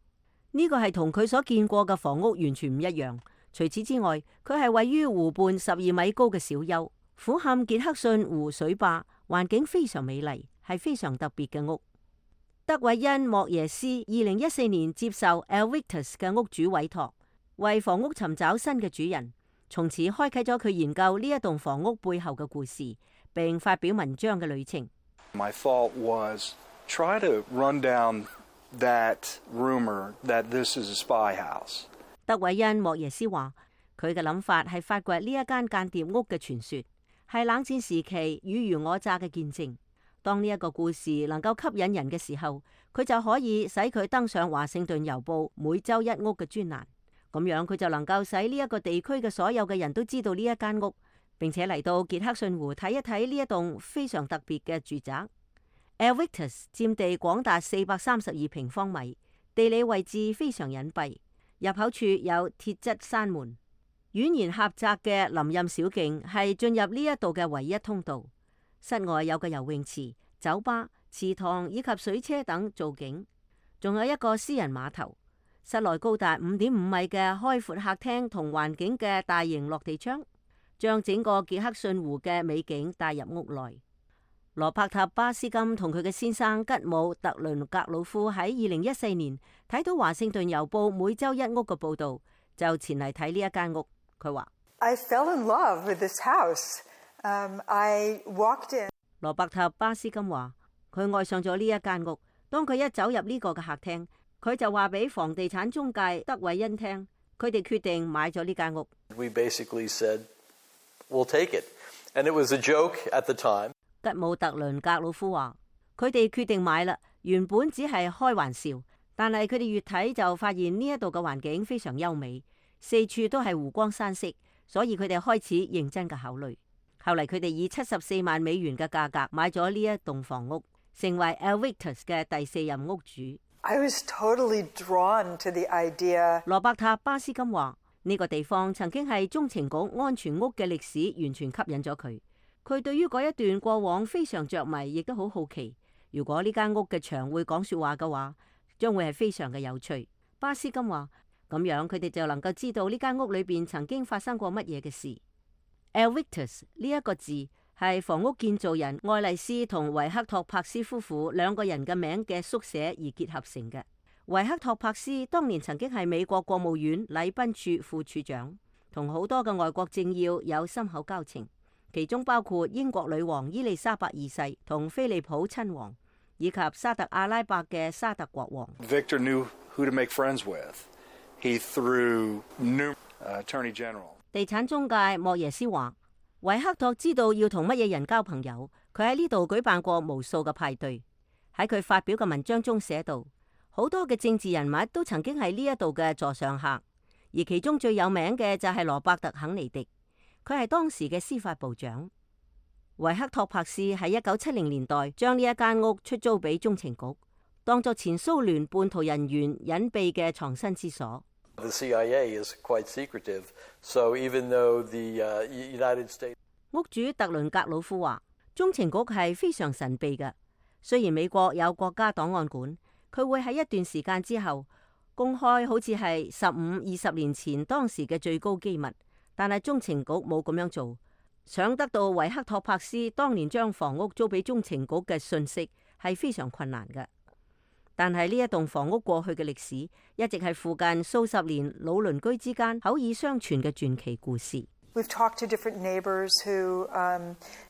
呢個係同佢所見過嘅房屋完全唔一樣。除此之外，佢係位於湖畔12米高嘅小丘，俯瞰傑克遜湖水壩，環境非常美麗，係非常特別嘅屋。德韋恩莫耶斯2014年接受 Invictus 嘅屋主委託，為房屋尋找新嘅主人，從此開啟咗佢研究呢一棟房屋背後嘅故事，並發表文章嘅旅程。My thought was try to run down that rumor that this is a spy house. 德韋恩莫耶斯話：佢嘅諗法係發掘呢一間間諜屋嘅傳說，係冷戰時期爾虞我詐嘅見證。當呢一個故事能夠吸引人嘅時候，佢就可以使佢登上華盛頓郵報每周一屋嘅專欄。咁樣佢就能夠使呢一個地區嘅所有嘅人都知道呢一間屋，並且嚟到傑克遜湖睇一睇呢一棟非常特別嘅住宅。Invictus 佔地廣達432平方米，地理位置非常隱蔽，入口處有鐵質山門，蜿蜒狹窄嘅林蔭小徑係進入呢一度嘅唯一通道。室外有個游泳池、酒吧、池塘以及水車等造景，仲有一個私人碼頭。室內高達5.5米嘅開闊客廳同環境嘅大型落地窗，將整個傑克遜湖嘅美景帶入屋內。羅伯特巴斯金同佢嘅先生吉姆特倫格魯夫喺2014年睇到華盛頓郵報每周一屋嘅報道，就前嚟睇呢一間屋。佢話：I fell in love with this house. I walked in. 羅伯特巴斯金話：佢愛上咗呢一間屋。當佢一走入呢個嘅客廳，佢就話俾房地產中介德韋恩聽，佢哋決定買咗呢間屋。We basically said, "We'll take it," and it was a joke at the time. 吉姆特倫格魯夫話：佢哋決定買啦，原本只係開玩笑，但係佢哋越睇就發現呢一度嘅環境非常優美，四處都係湖光山色，所以佢哋開始認真嘅考慮。後嚟佢哋以74萬美元嘅價格買咗呢一棟房屋，成為 Invictus 嘅第4任屋主。I was totally drawn to the idea. 羅伯特巴斯金話：呢個地方曾經係中情局安全屋嘅歷史，完全吸引咗佢。佢對於嗰一段過往非常着迷，亦都好好奇，如果呢間屋嘅牆會講說話嘅話，將會係非常嘅有趣。巴斯金話，咁樣佢哋就能夠知道呢間屋裏邊曾經發生過乜嘢嘅事。Evictus 呢一個字係房屋建造人愛麗絲同維克托柏斯夫婦兩個人嘅名嘅縮寫而結合成嘅。維克托柏斯當年曾經係美國國務院禮賓處副處長，同好多嘅外國政要有深厚交情，其中包括英國女王伊麗莎白二世同菲利普親王，以及沙特阿拉伯嘅沙特國王。Victor knew who to make friends with. He threw new attorney general. 地產中介莫耶斯話，維克托知道要同乜嘢人交朋友，佢喺呢度舉辦過無數嘅派對。喺佢發表嘅文章中寫道，好多嘅政治人物都曾經係呢一度嘅座上客，而其中最有名嘅就係羅伯特肯尼迪，佢係當時嘅司法部長。維克托柏斯喺1970年代將呢一間屋出租俾中情局，當作前蘇聯叛徒人員隱秘嘅藏身之所。The CIA is quite secretive, so even though the United States 屋主特倫格魯夫話，中情局係非常神秘嘅。雖然美國有國家檔案館，佢會喺一段時間之後公開好似係15-20年前當時嘅最高機密，但係中情局冇咁樣做。想得到維克托柏斯當年將房屋租俾中情局嘅信息係非常困難嘅。但係呢一棟房屋過去嘅歷史，一直係附近數十年老鄰居之間口耳相傳嘅傳奇故事。We've talked to different neighbors who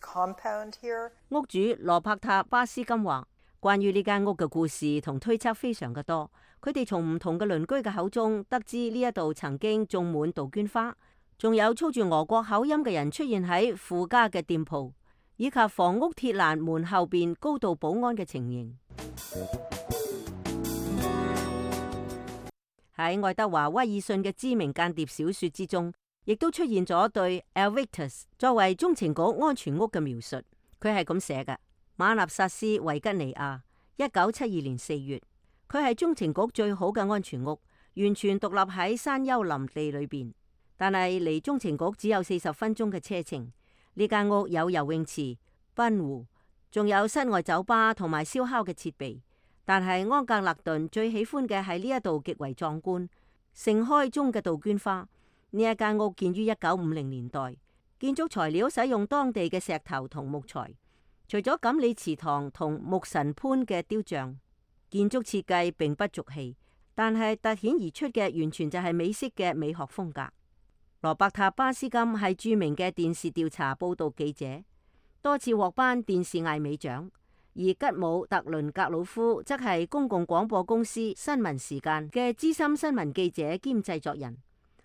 compound here. 屋主羅伯塔巴斯金話，關於呢間屋嘅故事同推測非常嘅多。佢哋從唔同嘅鄰居嘅口中得知呢一度曾經種滿杜鵑花，仲有操住俄國口音嘅人出現喺附家嘅店鋪，以及房屋鐵欄門後邊高度保安嘅情形。喺愛德華威爾遜嘅知名間諜小說之中，亦都出現咗對 Evictus 作為中情局安全屋嘅描述。佢係咁寫嘅：馬納薩斯維吉尼亞，1972年4月，佢係中情局最好嘅安全屋，完全獨立喺山丘林地裏邊，但係離中情局只有40分鐘嘅車程。呢間屋有游泳池、賓湖，仲有室外酒吧同埋燒烤嘅設備。但係安格勒頓最喜歡嘅係呢一度極為壯觀、盛開中嘅杜鵑花。呢一間屋建於1950年代，建築材料使用當地嘅石頭同木材。除咗錦鯉池塘同木神潘嘅雕像，建築設計並不俗氣，但係突顯而出嘅完全就係美式嘅美學風格。羅伯塔巴斯金係著名嘅電視調查報道記者，多次獲頒電視艾美獎。而吉姆特倫格魯夫則係公共廣播公司新聞時間嘅資深新聞記者兼製作人，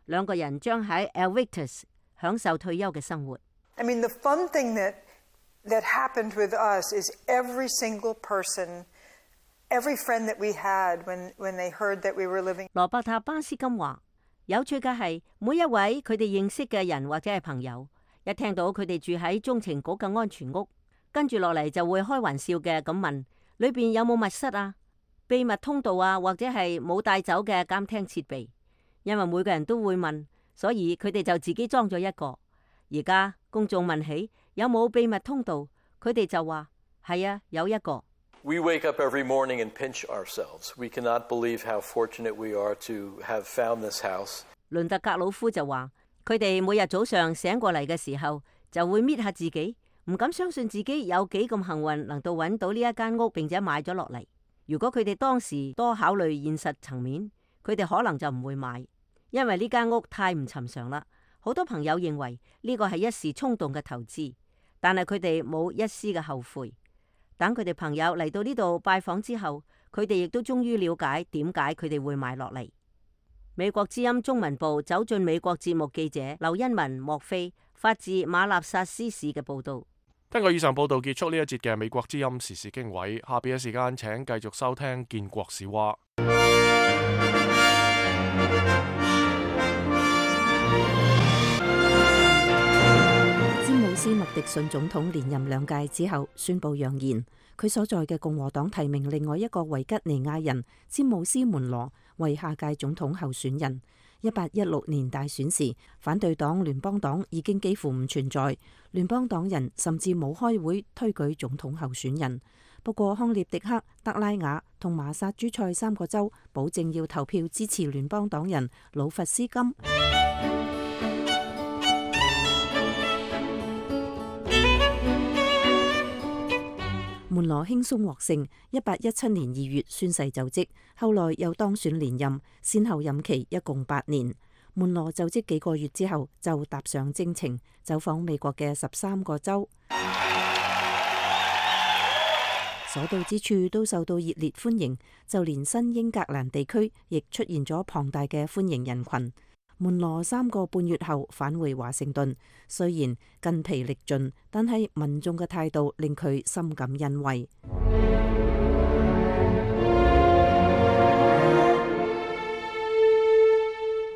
兩個人將喺 Evictus 享受退休嘅生活。I mean, the fun thing that happened with us is every single person, every friend that we had when they heard that we were living. 羅伯塔巴斯金話：有趣嘅係，每一位佢哋認識嘅人或者係朋友，一聽到佢哋住喺中情局嘅安全屋，跟住落嚟就會開玩笑嘅咁問：裏邊有冇密室啊、秘密通道啊，或者係冇帶走嘅監聽設備？因為每個人都會問，所以佢哋就自己裝咗一個。而家公眾問起有冇秘密通道，佢哋就話：係啊，有一個。We wake up every morning and pinch ourselves. We cannot believe how fortunate we are to have found this house. 倫特格魯夫就話：佢哋每日早上醒過嚟嘅時候，就會搣下自己。唔敢相信自己有幾咁幸運，能到揾到呢一間屋，並且買咗落嚟。如果佢哋當時多考慮現實層面，佢哋可能就唔會買，因為呢間屋太唔尋常啦。好多朋友認為呢個係一時衝動嘅投資，但係佢哋冇一絲嘅後悔。等佢哋朋友嚟到呢度拜訪之後，佢哋亦都終於了解點解佢哋會買落嚟。美國之音中文部走進美國節目記者劉恩文莫菲發自馬納薩斯市嘅報道。聽過以上報道，結束呢一節嘅美國之音時事經緯。下邊嘅時間請繼續收聽建國史話。詹姆斯麥迪遜總統連任2屆之後宣布揚言，佢所在嘅共和黨提名另外一個維吉尼亞人詹姆斯門羅為下屆總統候選人。1816年大選時，反對黨聯邦黨已經幾乎唔存在，聯邦黨人甚至冇開會推舉總統候選人。不過康涅狄克、德拉瓦同馬薩諸塞3個州保證要投票支持聯邦黨人魯弗斯金。門羅輕鬆獲勝，1817年2月宣誓就職，後來又當選連任，先後任期一共8年。門羅就職幾個月之後，就踏上征程，走訪美國嘅13個州，所到之處都受到熱烈歡迎，就連新英格蘭地區亦出現咗龐大嘅歡迎人群。門羅3個半月後返回華盛頓，雖然筋疲力盡，但係民眾嘅態度令佢深感欣慰。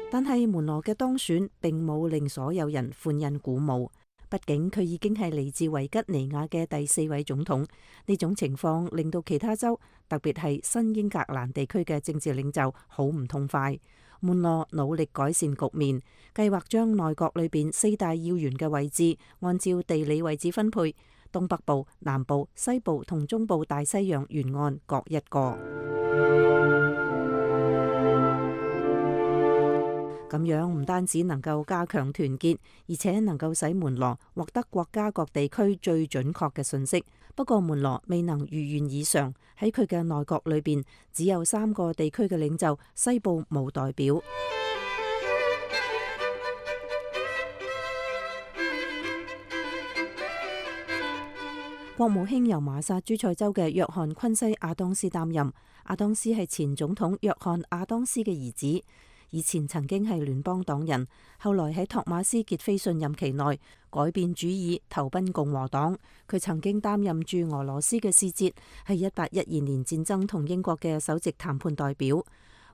但係門羅嘅當選並冇令所有人歡欣鼓舞，畢竟佢已經係嚟自維吉尼亞嘅第4位總統。呢種情況令到其他州，特別係新英格蘭地區嘅政治領袖好唔痛快。門羅努力改善局面，計劃將內閣裏邊4大要員嘅位置按照地理位置分配，東北部、南部、西部同中部大西洋沿岸各一個。咁樣唔單止能夠加強團結，而且能夠使門羅獲得國家各地區最準確嘅信息。不過門羅未能如願以償，喺佢嘅內閣裏邊只有3個地區嘅領袖，西部冇代表。國務卿由馬薩諸塞州嘅約翰昆西亞當斯擔任。亞當斯係前總統約翰亞當斯嘅兒子，以前曾經係聯邦黨人，後來喺托馬斯傑菲遜任期內改變主意，投奔共和黨。佢曾經擔任駐俄羅斯嘅使節，係1812年戰爭同英國嘅首席談判代表。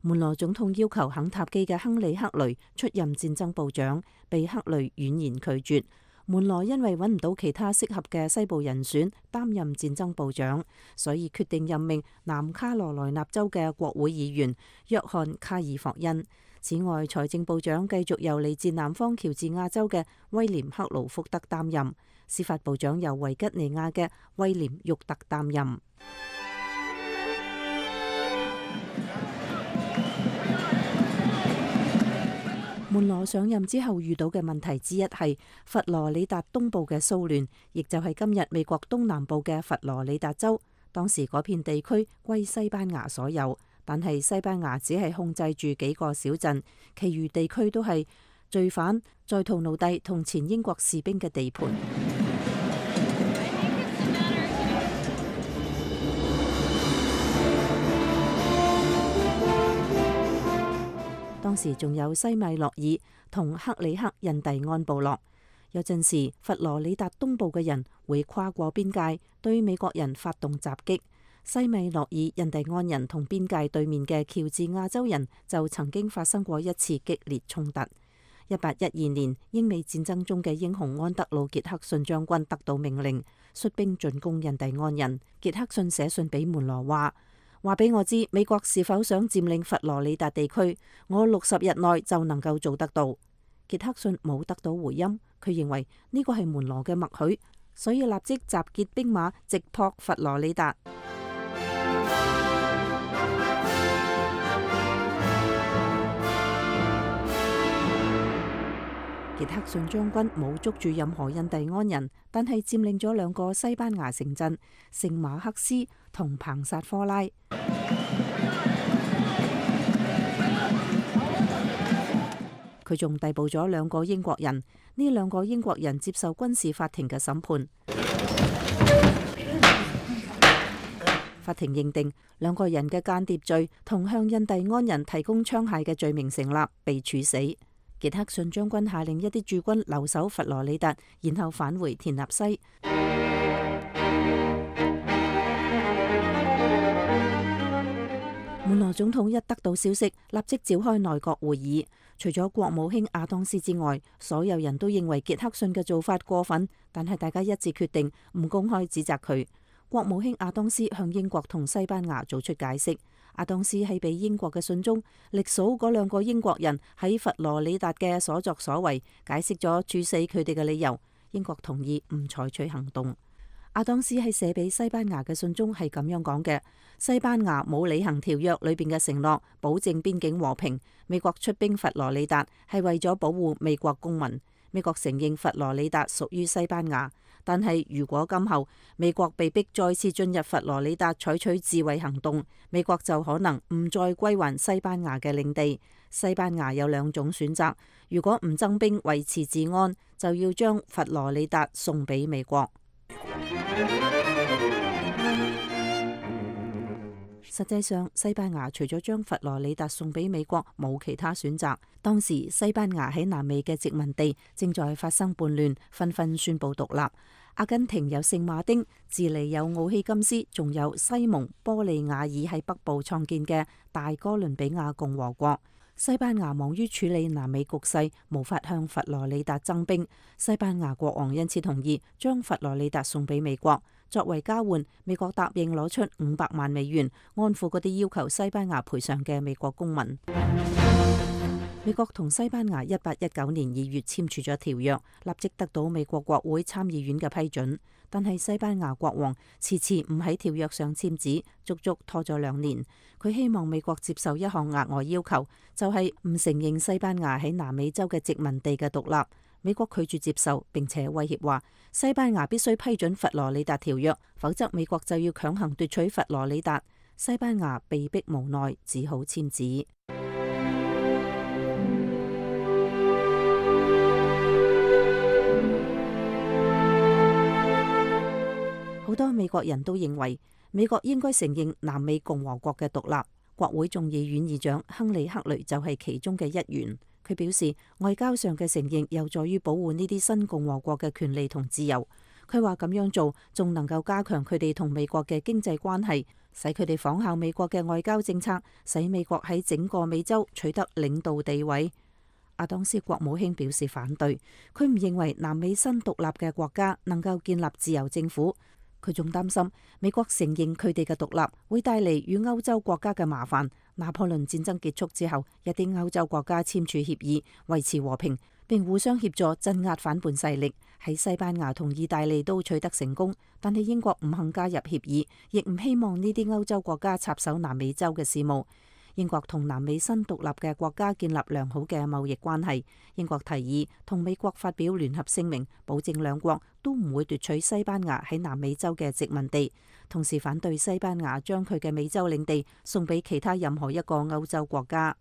門羅總統要求肯塔基嘅亨利克雷出任戰爭部長，被克雷婉言拒絕。門羅因為揾唔到其他適合嘅西部人選擔任戰爭部長，所以決定任命南卡羅來納州嘅國會議員約翰卡爾霍恩。此外，財政部長繼續由嚟自南方喬治亞州嘅威廉克勞福德擔任，司法部長由維吉尼亞嘅威廉沃特擔任。門羅上任之後遇到嘅問題之一係佛羅里達東部嘅騷亂，亦就係今日美國東南部嘅佛羅里達州。當時嗰片地區歸西班牙所有，但係西班牙只係控制住幾個小鎮，其餘地區都係罪犯、在逃奴隸同前英國士兵嘅地盤。當時仲有西米諾爾同克里克印第安部落。有陣時佛羅里達東部嘅人會跨過邊界對美國人發動襲擊。西米諾爾印第安人同邊界對面嘅喬治亞州人就曾經發生過一次激烈衝突。1812年英美戰爭中嘅英雄安德魯傑克遜將軍得到命令，率兵進攻印第安人。傑克遜寫信俾門羅話俾我知美國是否想佔領佛羅里達地區，我60日內就能夠做得到。傑克遜冇得到回音，佢認為呢個係門羅嘅默許，所以立即集結兵馬直撲佛羅里達。傑克遜將軍冇捉住任何印第安人，但係佔領咗2個西班牙城鎮聖馬克斯同彭薩科拉。佢仲逮捕咗2個英國人，呢2個英國人接受軍事法庭嘅審判。法庭認定2個人嘅間諜罪同向印第安人提供槍械嘅罪名成立，被處死。傑克遜將軍下令一啲駐軍留守佛羅里達，然後返回田納西。門羅總統一得到消息，立即召開內閣會議。除咗國務卿亞當斯之外，所有人都認為傑克遜嘅做法過分，但係大家一致決定唔公開指責佢。國務卿亞當斯向英國同西班牙做出解釋。亞當斯喺俾英國嘅信中，歷數嗰2個英國人喺佛羅里達嘅所作所為，解釋咗處死佢哋嘅理由。英國同意唔採取行動。阿當斯喺寫俾西班牙嘅信中係咁樣講嘅：西班牙冇履行條約裏邊嘅承諾，保證邊境和平。美國出兵佛羅里達係為咗保護美國公民。美國承認佛羅里達屬於西班牙，但係如果今後美國被逼再次進入佛羅里達採取自衛行動，美國就可能唔再歸還西班牙嘅領地。西班牙有兩種選擇：如果唔增兵維持治安，就要將佛羅里達送俾美國。實際上，西班牙除咗將佛羅里達送俾美國，冇其他選擇。當時西班牙喺南美嘅殖民地正在發生叛亂，紛紛宣布獨立。阿根廷有聖馬丁，智利有奧希金斯，仲有西蒙波利亞爾喺北部創建嘅大哥倫比亞共和國。西班牙忙於處理南美局勢，無法向佛羅里達增兵。西班牙國王因此同意將佛羅里達送俾美國。作為交換，美國答應攞出500萬美元，安撫嗰啲要求西班牙賠償嘅美國公民。美國同西班牙1819年2月簽署咗條約，立即得到美國國會參議院嘅批准。但係西班牙國王遲遲唔喺條約上簽字，足足拖咗2年。佢希望美國接受一項額外要求，就係唔承認西班牙喺南美洲嘅殖民地嘅獨立。美國拒絕接受，並且威脅話西班牙必須批准佛羅里達條約，否則美國就要強行奪取佛羅里達。西班牙被迫無奈，只好簽字。好多美國人都認為美國應該承認南美共和國嘅獨立。國會眾議院議長亨利·克雷就係其中嘅一員。佢表示，外交上嘅承認有助於保護呢啲新共和國嘅權利同自由。佢話咁樣做仲能夠加強佢哋同美國嘅經濟關係，使佢哋仿效美國嘅外交政策，使美國喺整個美洲取得領導地位。阿當斯國務卿表示反對，佢唔認為南美新獨立嘅國家能夠建立自由政府。佢仲擔心美國承認佢哋嘅獨立會帶嚟與歐洲國家嘅麻煩。拿破崙戰爭結束之後，一啲歐洲國家簽署協議維持和平，並互相協助鎮壓反叛勢力。喺西班牙同意大利都取得成功，但係英國唔肯加入協議，亦唔希望呢啲歐洲國家插手南美洲嘅事務。英國同南美新獨立嘅國家建立良好嘅貿易關係。英國提議同美國發表聯合聲明，保證兩國都唔會奪取西班牙喺南美洲嘅殖民地，同時反對西班牙將佢嘅美洲領地送俾其他任何一個歐洲國家。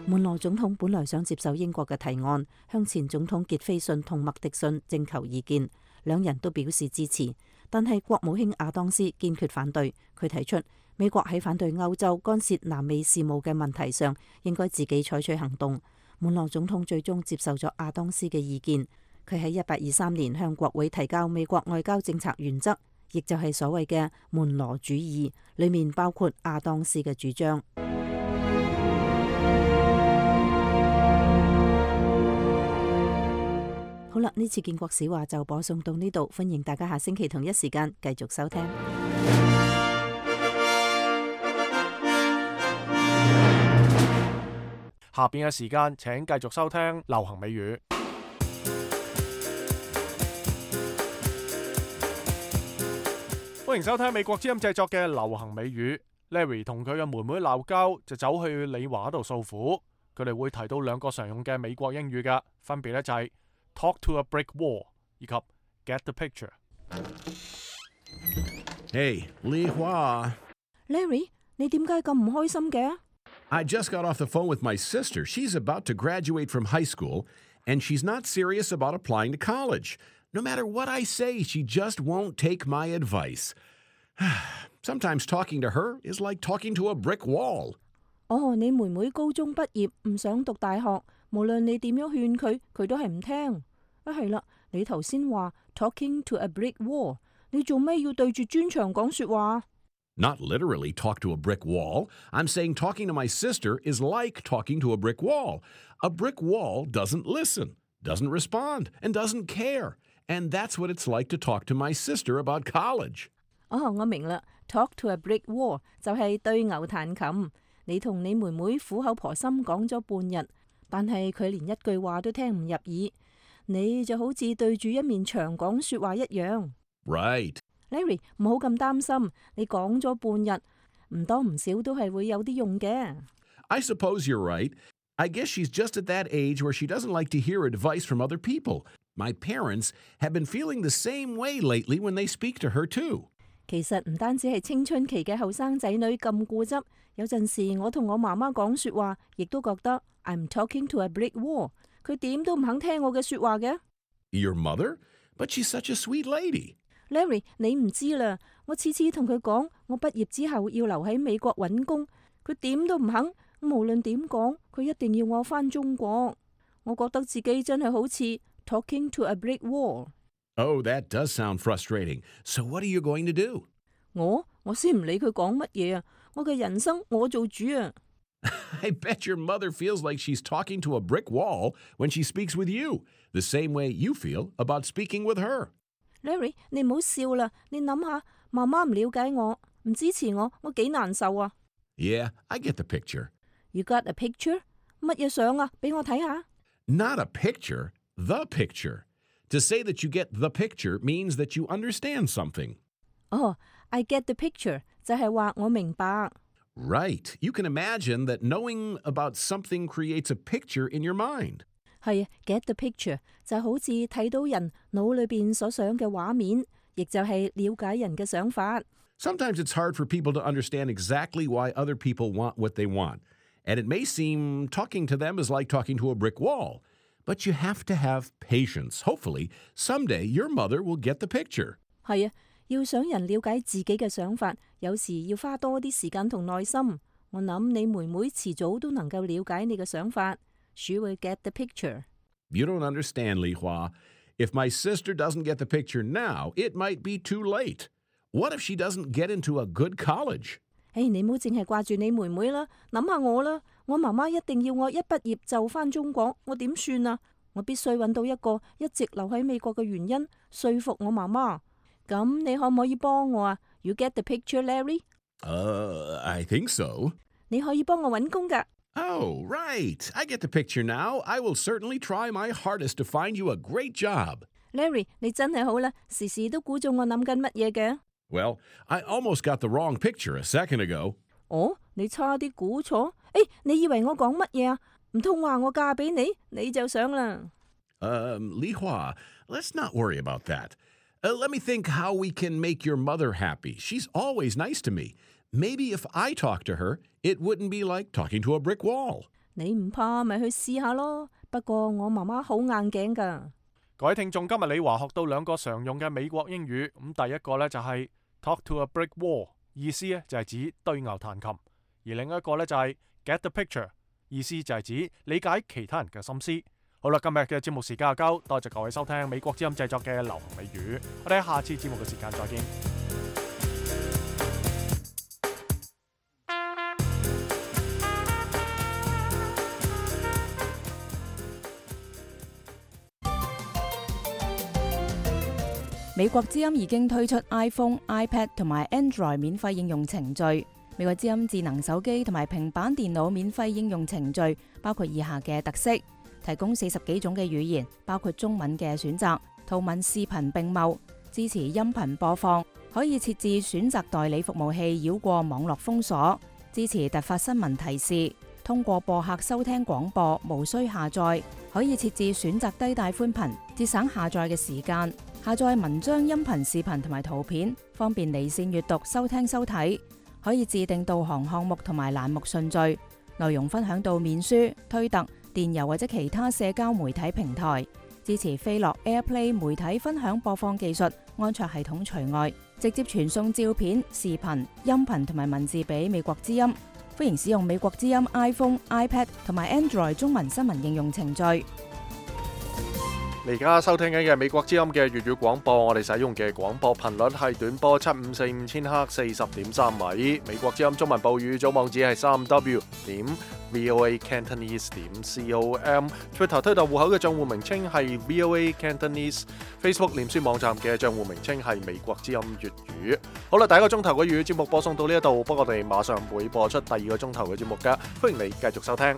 門羅總統本來想接受英國嘅提案，向前總統傑斐遜同麥迪遜徵求意見，兩人都表示支持。但係國務卿亞當斯堅決反對，佢提出美國喺反對歐洲干涉南美事務嘅問題上，應該自己採取行動。門羅總統最終接受咗亞當斯嘅意見，佢喺1823年向國會提交美國外交政策原則，亦就係所謂嘅門羅主義，裏面包括亞當斯嘅主張。好啦，呢次建國史話就播送到呢度，歡迎大家下星期同一時間繼續收聽。下邊嘅時間請繼續收聽流行美語。歡迎收聽美國之音製作嘅流行美語。Larry 同佢嘅妹妹鬧交，就走去李華度訴苦。佢哋會提到2個常用嘅美國英語㗎，分別咧就係Talk to a brick wall 以及 Get the picture。 Hey, Li Hua. Larry, 你點解咁唔開心嘅？ I just got off the phone with my sister. She's about to graduate from high school, and she's not serious about applying to college. No matter what I say, she just won't take my advice. Sometimes talking to her is like talking to a brick wall. 哦，你妹妹高中畢業，唔想讀大學。無論你點樣勸佢，佢都係唔聽。係啦，你頭先話 talking to a brick wall， 你做咩要對住磚牆講說話？ Not literally talk to a brick wall. I'm saying talking to my sister is like talking to a brick wall. A brick wall doesn't listen, doesn't respond, and doesn't care. And that's what it's like to talk to my sister about college. 哦，我明啦。Talk to a brick wall 就係對牛彈琴。你同你妹妹苦口婆心講咗半日，但係佢連一句話都聽唔入耳。你就好似對住一面牆講說話一樣。Right. Larry， 唔好咁擔心，你講咗半日，唔多唔少都係會有啲用嘅。I suppose you're right. I guess she's just at that age where she doesn't like to hear advice from other people. My parents have been feeling the same way lately when they speak to her too. 其實唔單止係青春期嘅後生仔女咁固執，有陣時我同我媽媽講說話，亦都覺得 I'm talking to a brick wall。佢點都唔肯聽我嘅說話嘅。Your mother? But she's such a sweet lady. Larry， 你唔知啦，我次次同佢講，我畢業之後要留喺美國揾工，佢點都唔肯。無論點講，佢一定要我返中國。我覺得自己真係好似 talking to a brick wall。Oh, that does sound frustrating. So what are you going to do? 我先唔理佢講乜嘢啊！我嘅人生我做主啊！ I bet your mother feels like she's talking to a brick wall when she speaks with you, the same way you feel about speaking with her. Larry， 你唔好笑啦！你諗下，媽媽唔了解我，唔支持我，我幾難受啊！ Yeah, I get the picture. You got a picture? 乜嘢相啊？俾我睇下。Not a picture, the picture. To say that you get the picture means that you understand something. Oh, I get the picture 就係話我明白。Right. You can imagine that knowing about something creates a picture in your mind. 係啊 ，get the picture 就好似睇到人腦裏邊所想嘅畫面，亦就係了解人嘅想法。Sometimes it's hard for people to understand exactly why other people want what they want. And it may seem talking to them is like talking to a brick wall. But you have to have patience. Hopefully, someday your mother will get the picture. 係啊，要想人了解自己嘅想法，有時要花多啲時間同耐心。我諗你妹妹遲早都能夠了解你嘅想法。She will get the picture. You don't understand, Li Hua. If my sister doesn't get the picture now, it might be too late. What if she doesn't get into a good college? 你唔好淨係掛住你妹妹啦，諗下我啦。我媽媽一定要我一畢業就返中國，我點算啊？我必須揾到一個一直留喺美國嘅原因，說服我媽媽。咁你可唔可以幫我啊？ You get the picture, Larry? I think so. 你可以幫我揾工㗎。Oh, right. I get the picture now. I will certainly try my hardest to find you a great job. Larry, 你真係好啦，時時都估中我諗緊乜嘢嘅。Well, I almost got the wrong picture a second ago. 你差啲估錯？你以為我講乜嘢啊？唔通話我嫁俾你，你就想啦。Li Hua, let's not worry about that. Let me think how we can make your mother happy. She's always nice to me. Maybe if I talk to her, it wouldn't be like talking to a brick wall. 你唔怕咪去試下咯。不過我媽媽好硬頸㗎。各位聽眾，今日李華學到兩個常用嘅美國英語。咁第一個呢就係 talk to a brick wall， 意思呢就係指對牛彈琴；而另一個呢就係 get the picture， 意思就係指理解其他人嘅心思。好啦，今日嘅節目時間就夠，多謝各位收聽美國之音製作嘅流行美語。我哋喺下次節目嘅時間再見。美國之音已經推出 iPhone、iPad 同埋 Android 免費應用程序。美國之音智能手機同埋平板電腦免費應用程序包括以下嘅特色：提供40幾種嘅語言，包括中文嘅選擇，圖文視頻並茂，支持音頻播放，可以設置選擇代理服務器繞過網絡封鎖，支持突發新聞提示，通過播客收聽廣播，無需下載，可以設置選擇低帶寬頻，節省下載嘅時間。下載文章、音頻、視頻同埋圖片，方便離線閱讀、收聽收睇。可以自定導航項目同埋欄目順序，內容分享到面書、推特、電郵或者其他社交媒體平台。支持飛樂 AirPlay 媒體分享播放技術，安卓系統除外。直接傳送照片、視頻、音頻同埋文字俾美國之音。歡迎使用美國之音 iPhone、iPad 同埋 Android 中文新聞應用程序。你而家收聽緊嘅美國之音嘅粵語廣播，我哋使用嘅廣播頻率係短波7545千赫40.3米。美國之音中文報語組網址係3w.voacantonese.com。Twitter 推特戶口嘅賬戶名稱係 VOA Cantonese。Facebook 臉書網站嘅賬戶名稱係美國之音粵語。好啦，第一個鐘頭嘅粵語節目播送到呢一度，不過我哋馬上會播出第二個鐘頭嘅節目㗎，歡迎你繼續收聽。